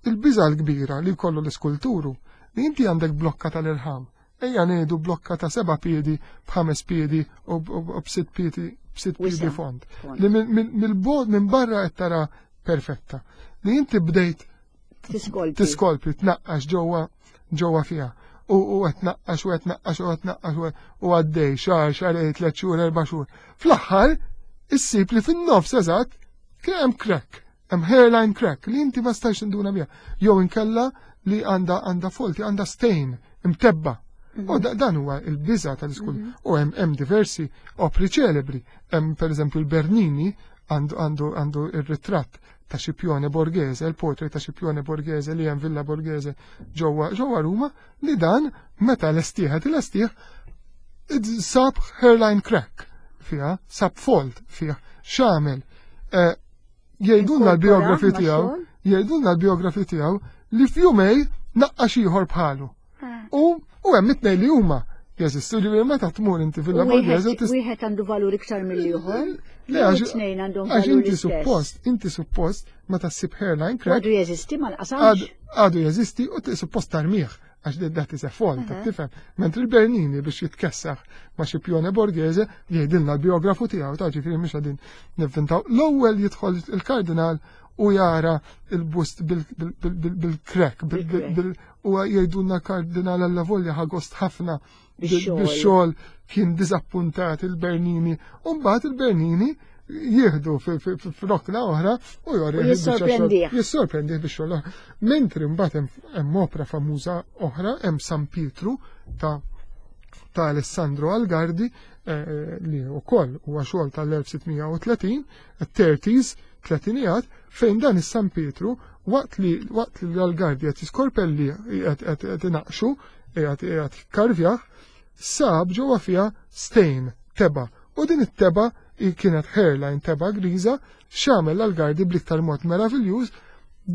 il-biża l-kbira li jkollu l-iskulturu li inti għandek blokka tal-irħam. Ejja ngħidu blokka ta' seba' piedi b'ħames piedi u b'sitt piedi b'sitt piedi fond. Li mill-bogħod minn barra qed tara perfetta. Li inti bdejt tiskolpi tnaqqax ġewwa ġewwa fiha. U qed tnaqqax u qed tnaqqax u qed tnaqqax u għaddej xahar, xahrejn, tliet xhur, erba' xhur. Fl-aħħar issib li fin-nofs eżatt kien hemm crack, hemm hairline crack li inti ma stajx tinduna biha. Jew inkella li għandha għandha folti, għandha stain imtebba. U mhm. dan huwa il-biża tal-iskul. Mhm. U hemm hemm diversi opri ċelebri. Hemm pereżempju l-Bernini għandu għandu għandu ir-ritratt ta' Scipione Borghese, il-portrait ta' Scipione Borghese li hemm Villa Borghese ġewwa ġewwa Ruma, li dan meta lestieħ lestieħ sab hairline crack fiha, sab fault fiha, x'għamel. Eh, jgħidulna l-biografi tiegħu, jgħidulna l-biografi tiegħu li f'jumej naqqax ieħor bħalu. Ah. U u hemm it-tnejn li huma jeżistu li meta tmur inti fil Borghese Wieħed għandu valur iktar mill-ieħor. Le għax tnejn għandhom valur. Inti suppost, inti suppost meta ssib hairline crack. Għadu jeżisti ma nqasamx. Għadu jeżisti u suppost tarmih għax that is a fault, tifhem. Mentri l-Bernini biex jitkessaħ ma' Scipione Borghese jgħidilna l-biografu tiegħu ta' ġifieri mhux qegħdin nivvintaw. L-ewwel jidħol il-kardinal u jara il-bust bil-crack, u jgħidulna kardinal alla volja ħagost ħafna bix-xogħol kien diżappuntat il-Bernini. U mbagħad il-Bernini jieħdu f'rokna oħra u jori jissorprendih. Jissorprendih biex xogħol. Mentri mbagħad hemm opra famuża oħra, hemm San Pietru ta' ta' Alessandro Algardi eh, li wkoll huwa xogħol tal-1630, 30s, tletinijat, fejn dan is-San Pietru waqt li waqt li l-Algardi qed jiskorpelli qed inaqxu, qiegħed qiegħed jikkarvjah, sab ġewwa fiha stain, teba. U din it-teba kienet hairline teba griża, x'għamel l-Algardi bl-iktar mod meraviljuż,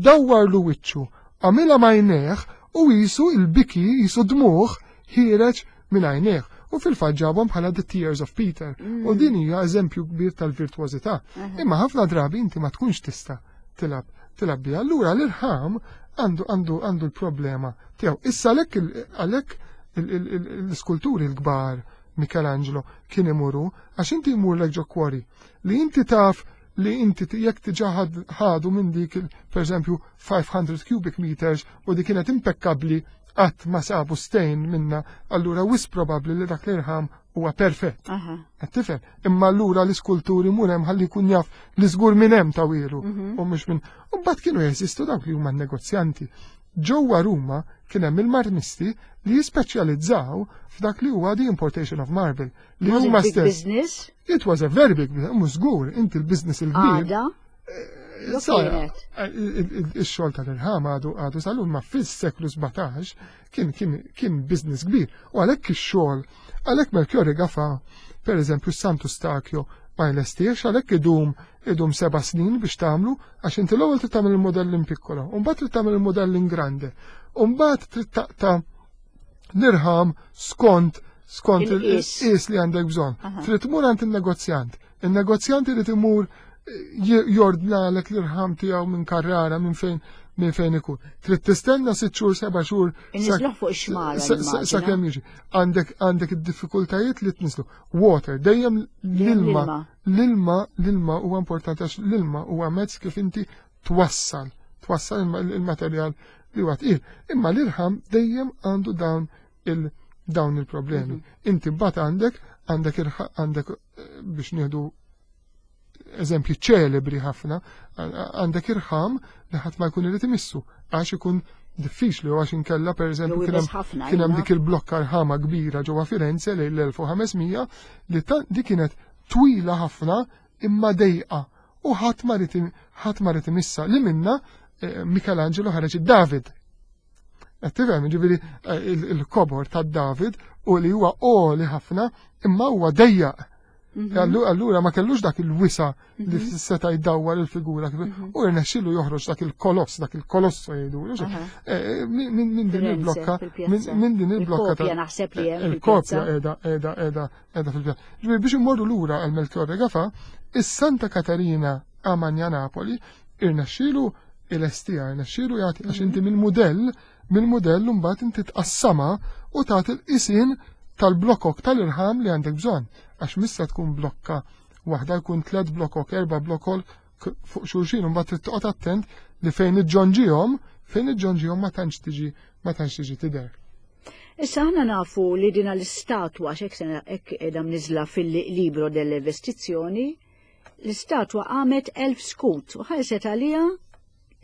dawwarlu wiċċu, għamilha m'għajnejh u qisu l-biki, qisu dmugħ ħiereġ minn għajnejh. U fil-fatt ġabhom bħala The Tears of Peter. U mm. din hija eżempju kbir tal-virtuożità. Imma ħafna drabi inti ma tkunx tista' tilab tilab biha. Allura l-irħam għandu għandu għandu l-problema tiegħu. Issa għalhekk għalhekk l-iskulturi l-kbar Michelangelo kien imuru għax inti jmurlek ġo kwori li inti taf li inti jekk diġà ħadu minn dik per eżempju 500 cubic meters u di kienet impeccabli qatt ma sabu stain minna, allura wis probabbli li dak l-irħam huwa perfett. Qed tifhem? Imma allura l-iskulturi mur hemm ħalli jkun jaf li żgur minn hemm tawielu mhm. u mhux minn. U mbagħad kienu jeżistu dawk li huma negozjanti. Ġewwa Ruma kien hemm il-marmisti li jispeċjalizzaw f'dak li huwa the importation of marble. Li huma stess. Business? It was a very big business, mhux żgur, inti l-business il-kbir. Għada? Eh, il-xogħol tal-irħam għadu għadu salun ma fis-seklu 17 kien kien kien business kbir. U għalhekk ix-xogħol, għalhekk Melchiorre Gafa, per eżempju Santu Stakio ma jlestiex għalhekk idum idum seba' snin biex tagħmlu għax inti l-ewwel trid tagħmel il-modell in piccolo, u mbagħad trid tagħmel il-modell in grande, u mbagħad trid taqta' l-irħam skont skont il-qis li għandek bżonn. Trid tmur għand il-negozjant. Il-negozjant irid imur eh, jordnalek l-irħam tiegħu minn Carrara minn fejn minn fejn ikun. Trid tistenna sitt xhur, seba' xhur. Inniżluh fuq ix-xmara. Sakemm jiġi. Għandek għandek id-diffikultajiet li tniżlu. Water, dejjem l-ilma. L-ilma, l-ilma huwa importanti għax l-ilma huwa mezz kif inti twassal, twassal il-materjal li huwa tqil. Imma l-irħam dejjem għandu dawn il dawn il-problemi. Mhm. Inti mbagħad għandek għandek għandek eh, biex nieħdu eżempji ċelebri ħafna, għandek irħam li ħadd ma jkun irid imissu għax ikun diffiċli u għax inkella pereżempju kien hemm dik il-blokka rħama kbira ġewwa Firenze lejn l-1500 li di kienet twila ħafna imma dejqa u ħadd ma rid ħadd ma rid imissa li minna eh, Michelangelo ħareġ id-David. Qed tifhem, ġifieri eh, il-kobor tad-David u li huwa għoli ħafna imma huwa dejjaq. Allura ma kellux dak il-wisa li seta' jdawwar il-figura u rnexxielu joħroġ dak il-koloss, dak il-kolosso jgħidu. Minn din il-blokka, minn din il-blokka. Il-kopja naħseb li hemm. Il-kopja qiegħda qiegħda qiegħda qiegħda fil-pjazza. Ġifieri biex immorru lura għal Melchiorre Gafà, is-Santa Katarina a Magna Napoli irnexxielu il-estija, irnexxielu jagħti għax inti mill-mudell, mill-mudell mbagħad inti tqassama u tagħti l-qisien tal-blokok tal-irħam li għandek bżonn. Għax missa tkun blokka waħda jkun tliet blokok, erba' blokok fuq xulxin, mbagħad trid toqgħod attent li fejn iġġonġihom, fejn iġġonġihom ma tantx tiġi ma tantx tiġi tidher. Issa aħna nafu li dina l-istatwa x'hekk sena hekk qiegħda mniżla fil-libro delle vestizzjoni, l-istatwa qamet 1000 skut u ħalset għaliha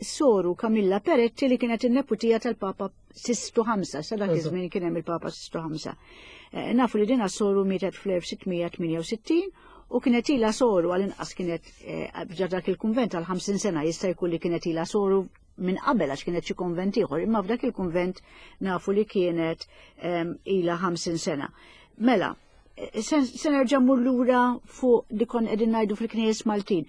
soru Camilla Peretti li kienet in-neputija tal-Papa Sistu Ħamsa, sa dak iż-żmien kien hemm il-Papa Sistu Ħamsa. Nafu li dina soru mietet fl-1668 u kienet ilha soru għal-inqas kienet f'ġa dak il-kunvent għal 50 sena, jista' jkun li kienet ilha soru minn qabel għax kienet xi konvent ieħor, imma f'dak il-kunvent nafu li kienet ilha 50 sena. Mela, se nerġa' mmur lura fuq li kon qegħdin ngħidu fil-knejjes Maltin.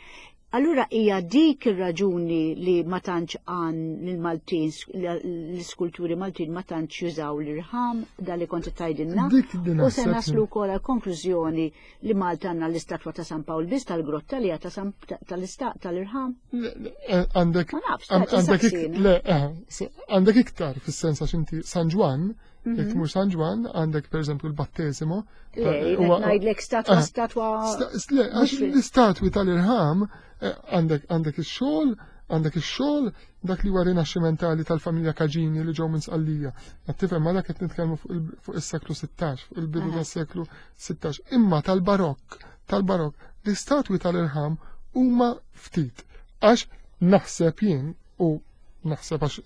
Allura hija dik ir-raġuni li ma tantx għan l-Maltin, l-iskulturi Maltin ma tantx jużaw l-irħam, da li kont tgħidilna. Dik din U se naħseb naslu wkoll għal konklużjoni li Malta għandna l-istatwa ta' San Pawl biss tal-grotta li hija ta' San tal-istat tal-irħam. Le, le, għandek Ma nafx, għandek saqsina. le, għandek iktar fis-sens għax inti San Ġwann, jekk tmur San Ġwann, għandek pereżempju l-battesimo. Le, jien qed ngħidlek statwa, statwa Le, għax mhux fil- l-istatwi tal-irħam għandek ix-xogħol, għandek ix-xogħol dak li huwa rinaxximentali tal-familja Caġini li ġew minn Sqallija. Qed tifhem ma dak qed nitkellmu fuq is-seklu 16, fuq il-bidu tas-seklu 16. Imma tal-barokk, l-istatwi tal-irħam huma ftit. Għax naħseb jien u naħseb għax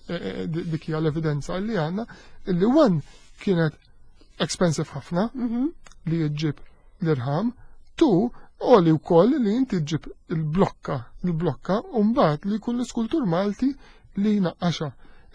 dik hija l-evidenza li għandna, illi one kienet expensive ħafna li ġġib l-irħam, two għoli wkoll li inti ġġib il-blokka u mbagħad li jkun l-iskultur Malti li jnaqqaxha.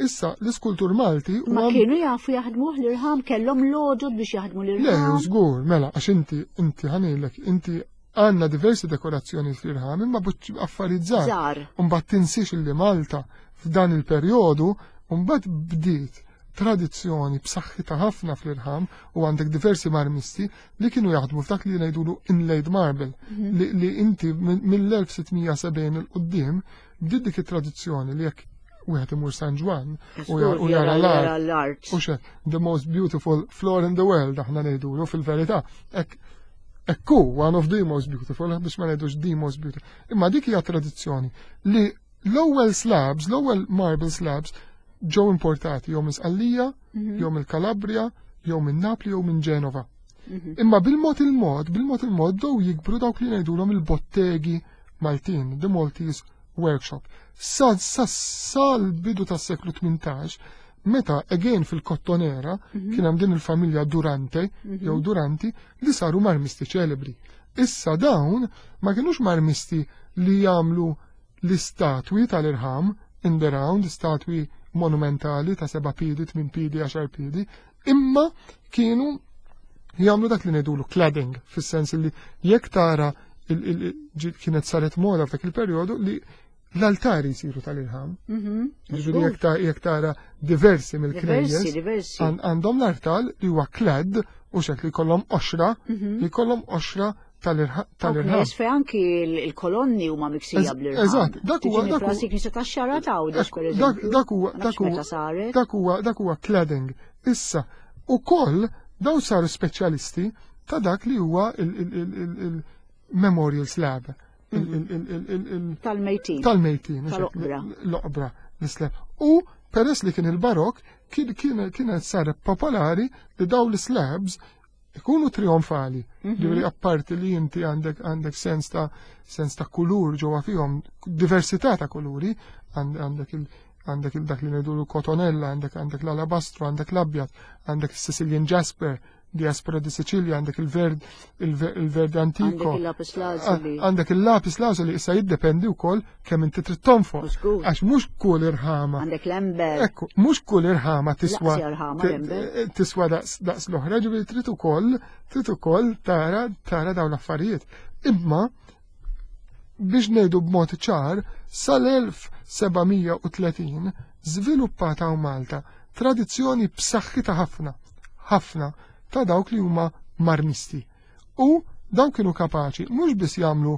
Issa l-iskultur Malti Ma huwa kienu jafu jaħdmuh l-irħam, kellhom l-għodod biex jaħdmu Le, l-irħam. żgur, mela, għax inti ħanilek, inti għandna diversi dekorazzjoni fl-irħam, imma affarijiet żgħar. Żgħar. U mbagħad tinsiex li Malta f'dan il-perjodu mbagħad bdiet tradizzjoni b'saħħitha ħafna fl-irħam u għandek diversi marmisti li kienu jaħdmu f'dak li ngħidulu inlaid marble, li inti mill-1670 il quddiem bdiet dik it-tradizzjoni li jekk wieħed imur San Ġwann u jara Jara l-art. l-art. U xe, the most beautiful floor in the world, aħna ngħidulu fil-verità. Ekku, one of the most beautiful, biex ma ngħidux the most beautiful. Imma dik hija tradizzjoni li l-ewwel slabs, l-ewwel marble slabs ġew importati jew minn Sqallija, jew mill-Kalabria, jew minn Napli, jew minn Ġenova. Imma bil-mod il-mod, bil-mod il-mod dow jikbru dawk li ngħidulhom il-bottegi Maltin, the Maltese Workshop. Sa l-bidu tas-seklu 18, meta again fil-Kottonera kien hemm din il-familja Durante, jew Duranti, li saru marmisti ċelebri. Issa dawn ma kienux marmisti li jagħmlu l-istatwi tal-irħam in the round, statwi monumentali ta' 7 piedi, 8 piedi, 10 piedi, imma kienu jagħmlu dak li ngħidulu cladding, fis-sens li jekk tara kienet saret moda f'dak il-perjodu li l-altari jsiru tal-irħam. Jiġifieri jekk tara diversi mill-knejjes, Diversi, diversi. għandhom l-artal li huwa clad u xek li jkollhom qoxra, li jkollhom qoxra tal-irħam. Knejjes fej anki il-kolonni huma miksija bl-irħam. Eżatt, dak huwa, Tiġi dak huwa frasi knisja tax-xara ta' Għawdex, Ekku, per eżempju. dak huwa, Ma nafx dak huwa, meta saret. dak huwa, dak huwa cladding. Issa, ukoll daw saru speċjalisti ta' dak li huwa il-memorial slab. Tal-mejtin. Tal-mejtin, eżatt, Tal-oqbra. l-oqbra, l-slab. U peress li kien il-barok, kienet saret popolari li daw l-slabs ikunu trionfali. Ġifieri apparti li inti għandek sens ta' kulur ġewwa fihom, diversità ta' kuluri, għandek il, għandek il dak li ngħidulu kotonella, għandek l-alabastru, għandek l-abjad, għandek il-Sicilian Jasper. Diaspora di Sicilia, għandek il-verd il-verde antico. Għandek il-lapis lazuli. Għandek il-lapis lazuli issa jiddependi wkoll kemm inti trid tonfoq. Għax mhux kull irħama. Għandek l-ember. Ekku, mhux kull irħama tiswa tiswa daqs l-oħra, ġifieri trid ukoll trid ukoll tara tara dawn l-affarijiet. Imma biex ngħidu b'mod ċar, sal-1730 żviluppata hawn Malta tradizzjoni b'saħħitha ħafna, ħafna ta' dawk li huma marmisti. U dawn kienu kapaċi mhux biss jagħmlu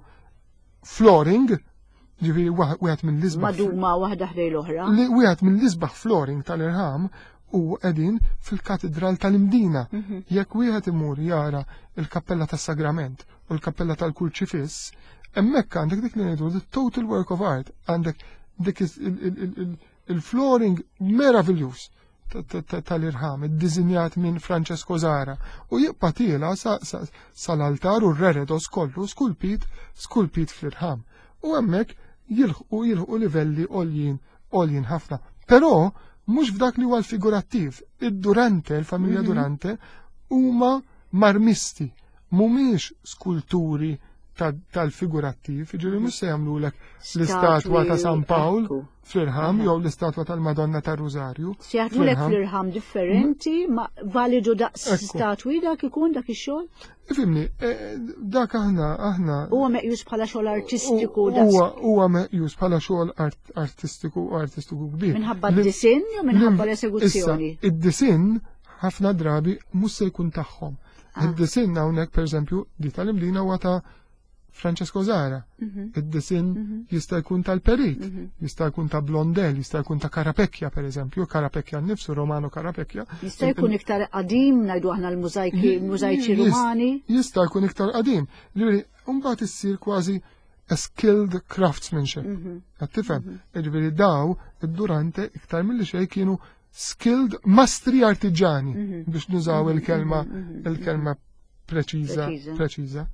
flooring, ġifieri wieħed mill-isbaħ. Maduma waħda ħdej l-oħra. Li wieħed mill-isbaħ flooring tal-irħam u qegħdin fil-katedral tal-Imdina. Mhm. Jekk wieħed imur jara il-Kappella tas-Sagrament u l-Kappella tal-Kurċifiss, hemmhekk għandek dik li ngħidu the total work of art, għandek dik il-flooring meraviljuż tal-irħam, iddisinjat minn Francesco Zara u jibqa' tiela sal-altar u r-reredos kollu skulpit skulpit fl-irħam. U hemmhekk jilħqu jilħqu livelli għoljin għoljin ħafna. Però mhux f'dak li huwa l-figurattiv. Id-Durante, il-familja mhm. Durante, huma marmisti mhumiex skulturi tal-figurattiv, ġifieri mhux se jagħmlulek l-istatwa ta' San Pawl fl-irħam jew l-istatwa tal-Madonna tar-Rużarju. Se jaħdmulek fl-irħam differenti, ma validu daqs statwi dak ikun dak ix-xogħol? Ifimni, e, dak aħna aħna. Huwa meqjus bħala xogħol artistiku Huwa meqjus bħala xogħol artistiku u artistiku kbir. Minħabba d-disinn jew minħabba l-esekuzzjoni? Id-disinn ħafna drabi mhux se jkun tagħhom. Ah. Id-disinn hawnhekk pereżempju di tal-Imdina huwa ta' Francesco Zara. Mhm. Id-disinn mhm. jista' jkun tal-Perit, mhm. jista' jkun ta' Blondel, jista' jkun ta' Carapecchia pereżempju, Carapecchia nnifsu, Romano Carapecchia. Jista' jkun iktar qadim ngħidu aħna l-mużajki, mużajċi Rumani. Jista' jkun iktar qadim. Ġifieri, mbagħad issir kważi a skilled craftsmanship. Qed tifhem? Ġifieri daw id-Durante iktar milli xejn kienu skilled mastri artiġani mhm. biex nużaw mhm, il-kelma mhm, il-kelma preċiża preċiża.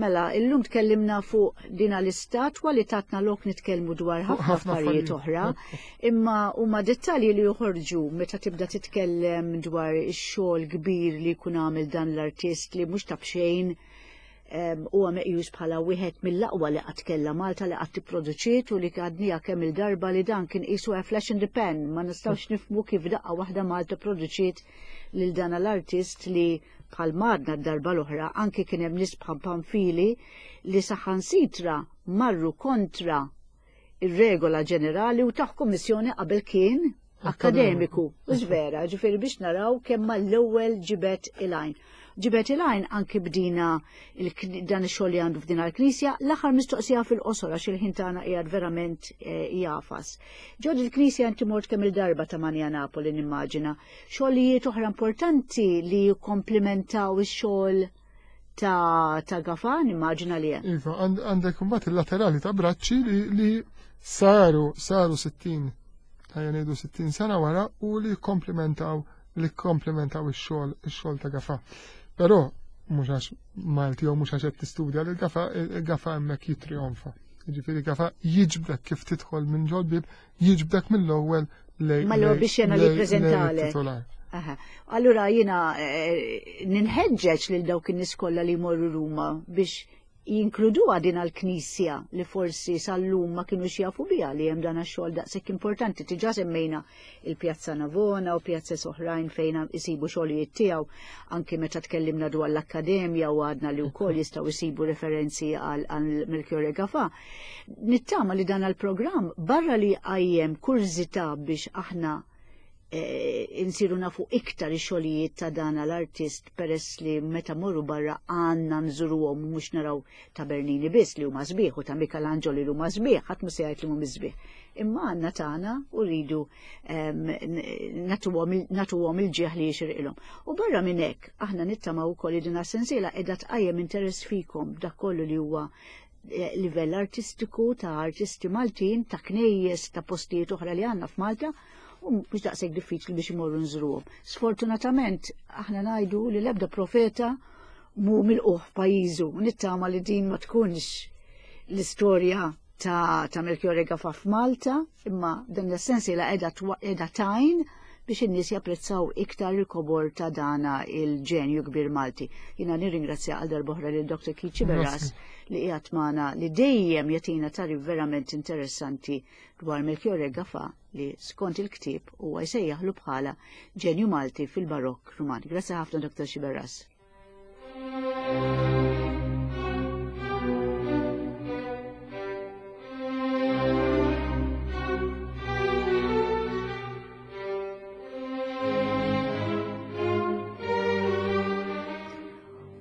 Mela, illum tkellimna fuq dina l-istatwa li tatna lok nitkellmu dwar ħafna affarijiet oħra, imma huma dettalji li joħorġu meta tibda titkellem dwar ix-xogħol kbir li jkun għamel dan l-artist li mhux ta' b'xejn huwa meqjus bħala wieħed mill-aqwa li qatt kellha Malta li qatt ipproduċiet u li għadniha kemm il-darba li dan kien qisu a flash in the pan, ma nistgħux nifhmu kif daqqa waħda Malta produċiet lil dan l-artist li bħal madna d-darba l-oħra anki kien hemm nies bħal Pamphili li saħansitra marru kontra ir-regola ġenerali u taħ kummissjoni qabel kien akademiku. U vera, ġifieri biex naraw kemm mal-ewwel ġibet il-għajn. Ġibet il-għajn anki bdina dan ix-xogħol li għandu f'din il-knisja, l-aħħar mistoqsija fil-qosor għax il-ħin tagħna qiegħed verament eh, jafas. Ġod il-knisja inti mort kemm il-darba ta' Manja Napoli nimmaġina. Xogħlijiet oħra importanti li jikkomplimentaw ix-xogħol ta' ta' Gafa, nimmaġina li hemm. Iva, għandek imbagħad il-laterali ta' Bracci li, li saru saru 60 ħajja ngħidu 60 sena wara u li komplementaw li komplementaw ix-xogħol ix-xogħol ta' Gafa. Però mhux għax Malti jew mhux għax qed tistudja li Gafa Gafa hemmhekk jitrionfa. Jiġifieri Gafa jiġbdek kif tidħol minn ġol-bib, jiġbdek mill-ewwel lej. Mal-ewwel biex jena li preżentalek. Allura jiena eh, ninħeġġeġ lil dawk in-nies kollha li jmorru Ruma biex jinkluduha din għall-knisja li forsi sal-lum ma kinux jafu biha li hemm dan għax-xogħol daqshekk importanti. Diġà semmejna il-Pjazza Navona u pjazza oħrajn fejn isibu xogħlijiet tiegħu anki meta tkellimna dwar l-akkademja u għadna li wkoll jistgħu jsibu referenzi għal Melchiorre Gafà. Nittama li dan għall-programm barra li għajjem kurżità biex aħna Eh, insiru nafu iktar ix-xogħlijiet ta' dan l-artist peress li meta morru barra għandna nżuruhom mhux naraw ta' Bernini biss li huma sbieħ u ta' Michelangelo li huma sbieħ, ħadd mhu se jgħid li mhum sbieħ. Imma għandna tagħna u rridu ehm, nagħtuhom il-ġieħ li jixirqilhom. U barra minn hekk aħna nittamaw ukoll li din sensiela qiegħda tqajjem interess fikom dak kollu li huwa eh, livell artistiku ta' artisti Maltin, ta' knejjes, ta' postijiet oħra li għandna f'Malta u mhux daqshekk diffiċli biex imorru nżruhom. Sfortunatament aħna ngħidu li l-ebda profeta mu milquh f'pajjiżu u nittama li din ma tkunx l-istorja ta', ta Melchiorre Gafa f'Malta, imma dan l-essensi la qiegħda tajn biex in-nies japprezzaw iktar il-kobor ta' dana il-ġenju kbir Malti. Jiena nirringrazzja għal darb'oħra lil Dr. Keith Sciberras li qiegħed magħna li dejjem jagħtina tagħrif verament interessanti dwar Melchiorre Gafà li skont il-ktieb huwa jsejjaħlu bħala ġenju Malti fil-Barokk Ruman. Grazzi ħafna Dr. Sciberras.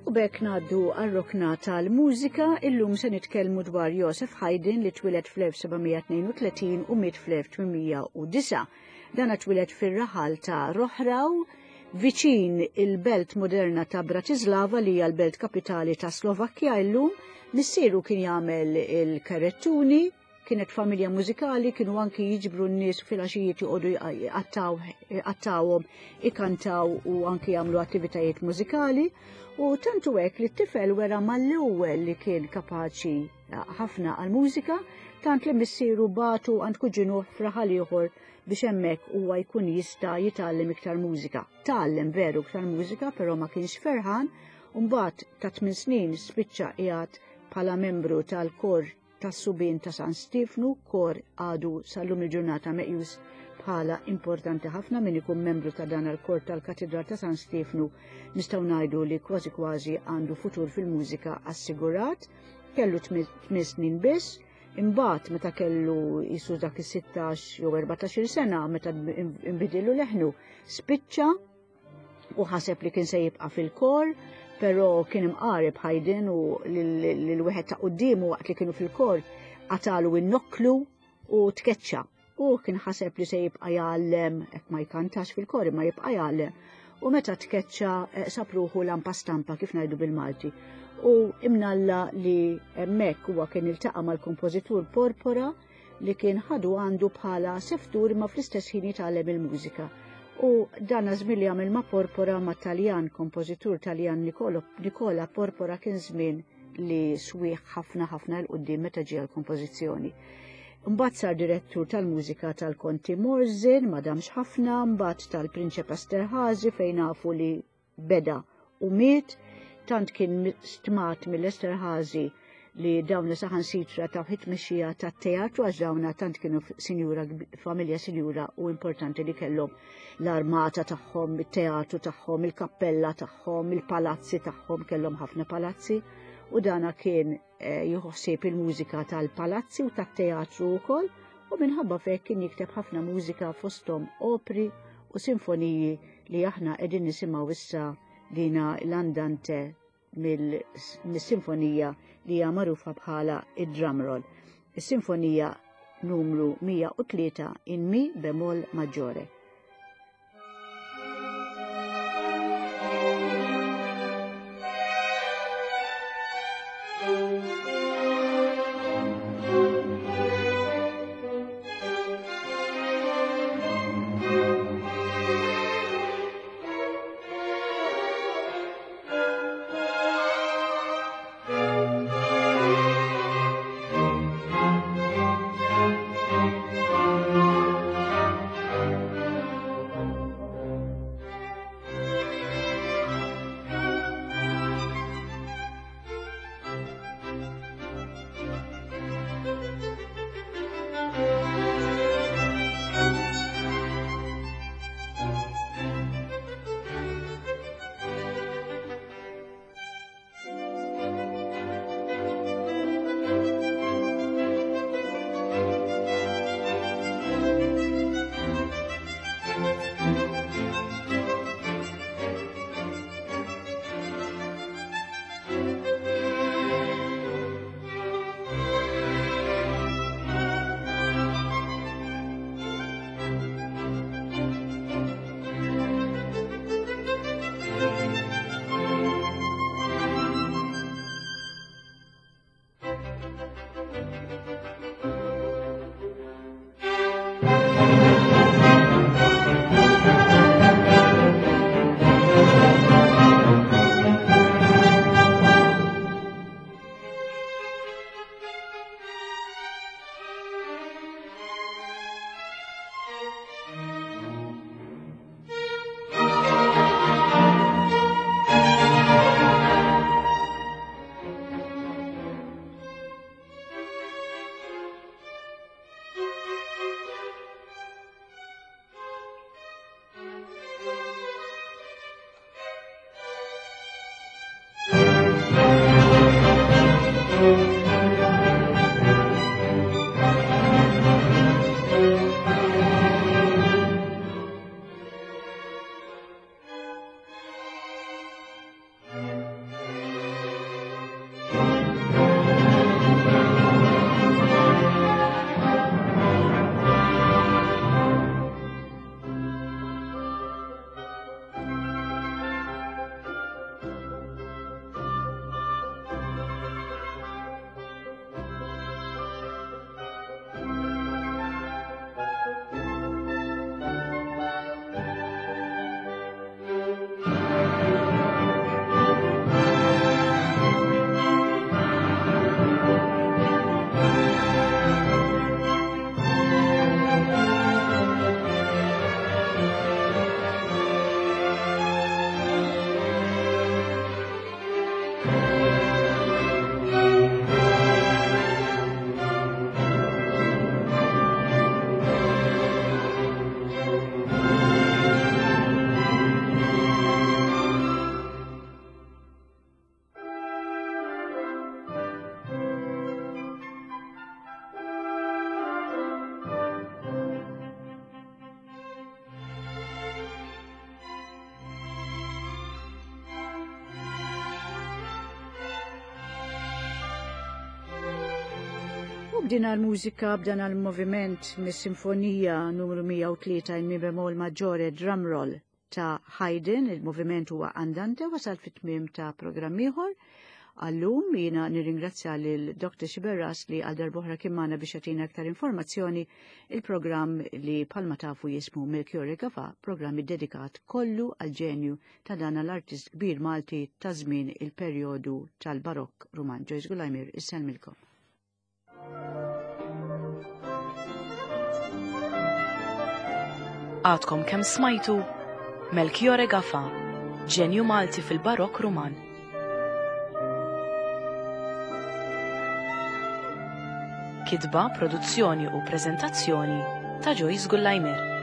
U b'hekk ngħaddu għar-rokna tal-mużika, illum se nitkellmu dwar Joseph Haydn li twieled fl-1732 u miet fl-1809. Dana twieled fir-raħal ta' Rohrau, viċin il-belt moderna ta' Bratislava li hija l-belt kapitali ta' Slovakkja illum. Missieru kien jagħmel il-karettuni, kienet familja mużikali, kienu anki jiġbru n-nies fil-għaxijiet joqogħdu jqattawhom, ikantaw u anki jagħmlu attivitajiet mużikali. U tantu hekk li t-tifel wera mal-ewwel li kien kapaċi ħafna għall-mużika, tant li missieru bagħtu għand kuġinuh f'raħal ieħor biex hemmhekk huwa jkun jista' jitgħallem iktar mużika. Tgħallem veru iktar mużika, però ma kienx ferħan, u mbagħad ta' 8 snin spiċċa qiegħed bħala membru tal-kor tas-subien ta' San Stiefnu, kor għadu sal-lum il-ġurnata meqjus bħala importanti ħafna. Min ikun membru ta' dan il-kor tal-Katedral ta' San Stiefnu nistgħu ngħidu li kważi kważi għandu futur fil-mużika assigurat. Kellu 8 snin biss. Imbagħad meta kellu jisu dak is-16 jew 14-il sena meta nbidillu leħnu, spiċċa u ħaseb li kien se jibqa' fil-kor, però kien imqareb Haydn u lil wieħed ta' quddiemu waqt li kienu fil-kor qatalu in-nokklu u tkeċċa. U kien ħaseb li se jibqa' jgħallem, hekk ma jkantax fil-kor imma jibqa' jgħallem. U meta tkeċċa sab ruħu lampa stampa kif ngħidu bil-Malti. U imnalla li hemmhekk huwa kien iltaqa' mal-kompożitur Porpora li kien ħadu għandu bħala seftur imma fl-istess ħin jitgħallem il-mużika. U dan żmien li għamel ma' Porpora ma' Taljan, kompożitur Taljan Nicola Porpora kien żmien li swieħ ħafna ħafna 'l quddiem meta ġie għall-kompożizzjoni. Mbagħad sar direttur tal-mużika tal-Konti Morzin, ma damx ħafna, mbagħad tal-Prinċep Esterhazy fejn nafu li beda u miet, tant kien stmat mill-Esterhazy li dawna saħansitra ta' tmexxija tat-teatru għax dawna tant kienu sinjura, familja sinjura u importanti li kellhom l-armata tagħhom, it-teatru tagħhom, il-kappella tagħhom, il-palazzi tagħhom, kellhom ħafna palazzi u dana kien jieħu ħsieb il-mużika tal-palazzi u tat-teatru wkoll u minħabba f'hekk kien jikteb ħafna mużika fosthom opri u sinfoniji li aħna qegħdin nisimgħu issa dina l-andante mill-sinfonija li hija magħrufa bħala id-drum roll. Is-sinfonija numru 103 in mi bemol maggiore. U b'din għal-mużika b'dan għal-moviment mis-sinfonija numru 103 in mi bemol maggiore drum roll ta' Haydn, il-moviment huwa andante wasal fit-tmiem ta' programm ieħor. Għallum jiena nirringrazzja lil Dr. Xiberras li għal darbohra kien magħna biex jagħtina aktar informazzjoni il-programm li palma tafu jismu Melchiorre Gafa, programm iddedikat kollu għal ġenju ta' dan l-artist kbir Malti ta' żmien il-perjodu tal-Barokk Ruman. Joyce Gulajmir, isselmilkom. Għadkom kemm smajtu Melchiorre Gafa, ġenju Malti fil-Barokk Ruman. Kitba, produzzjoni u preżentazzjoni ta' Joyce Gullajmer.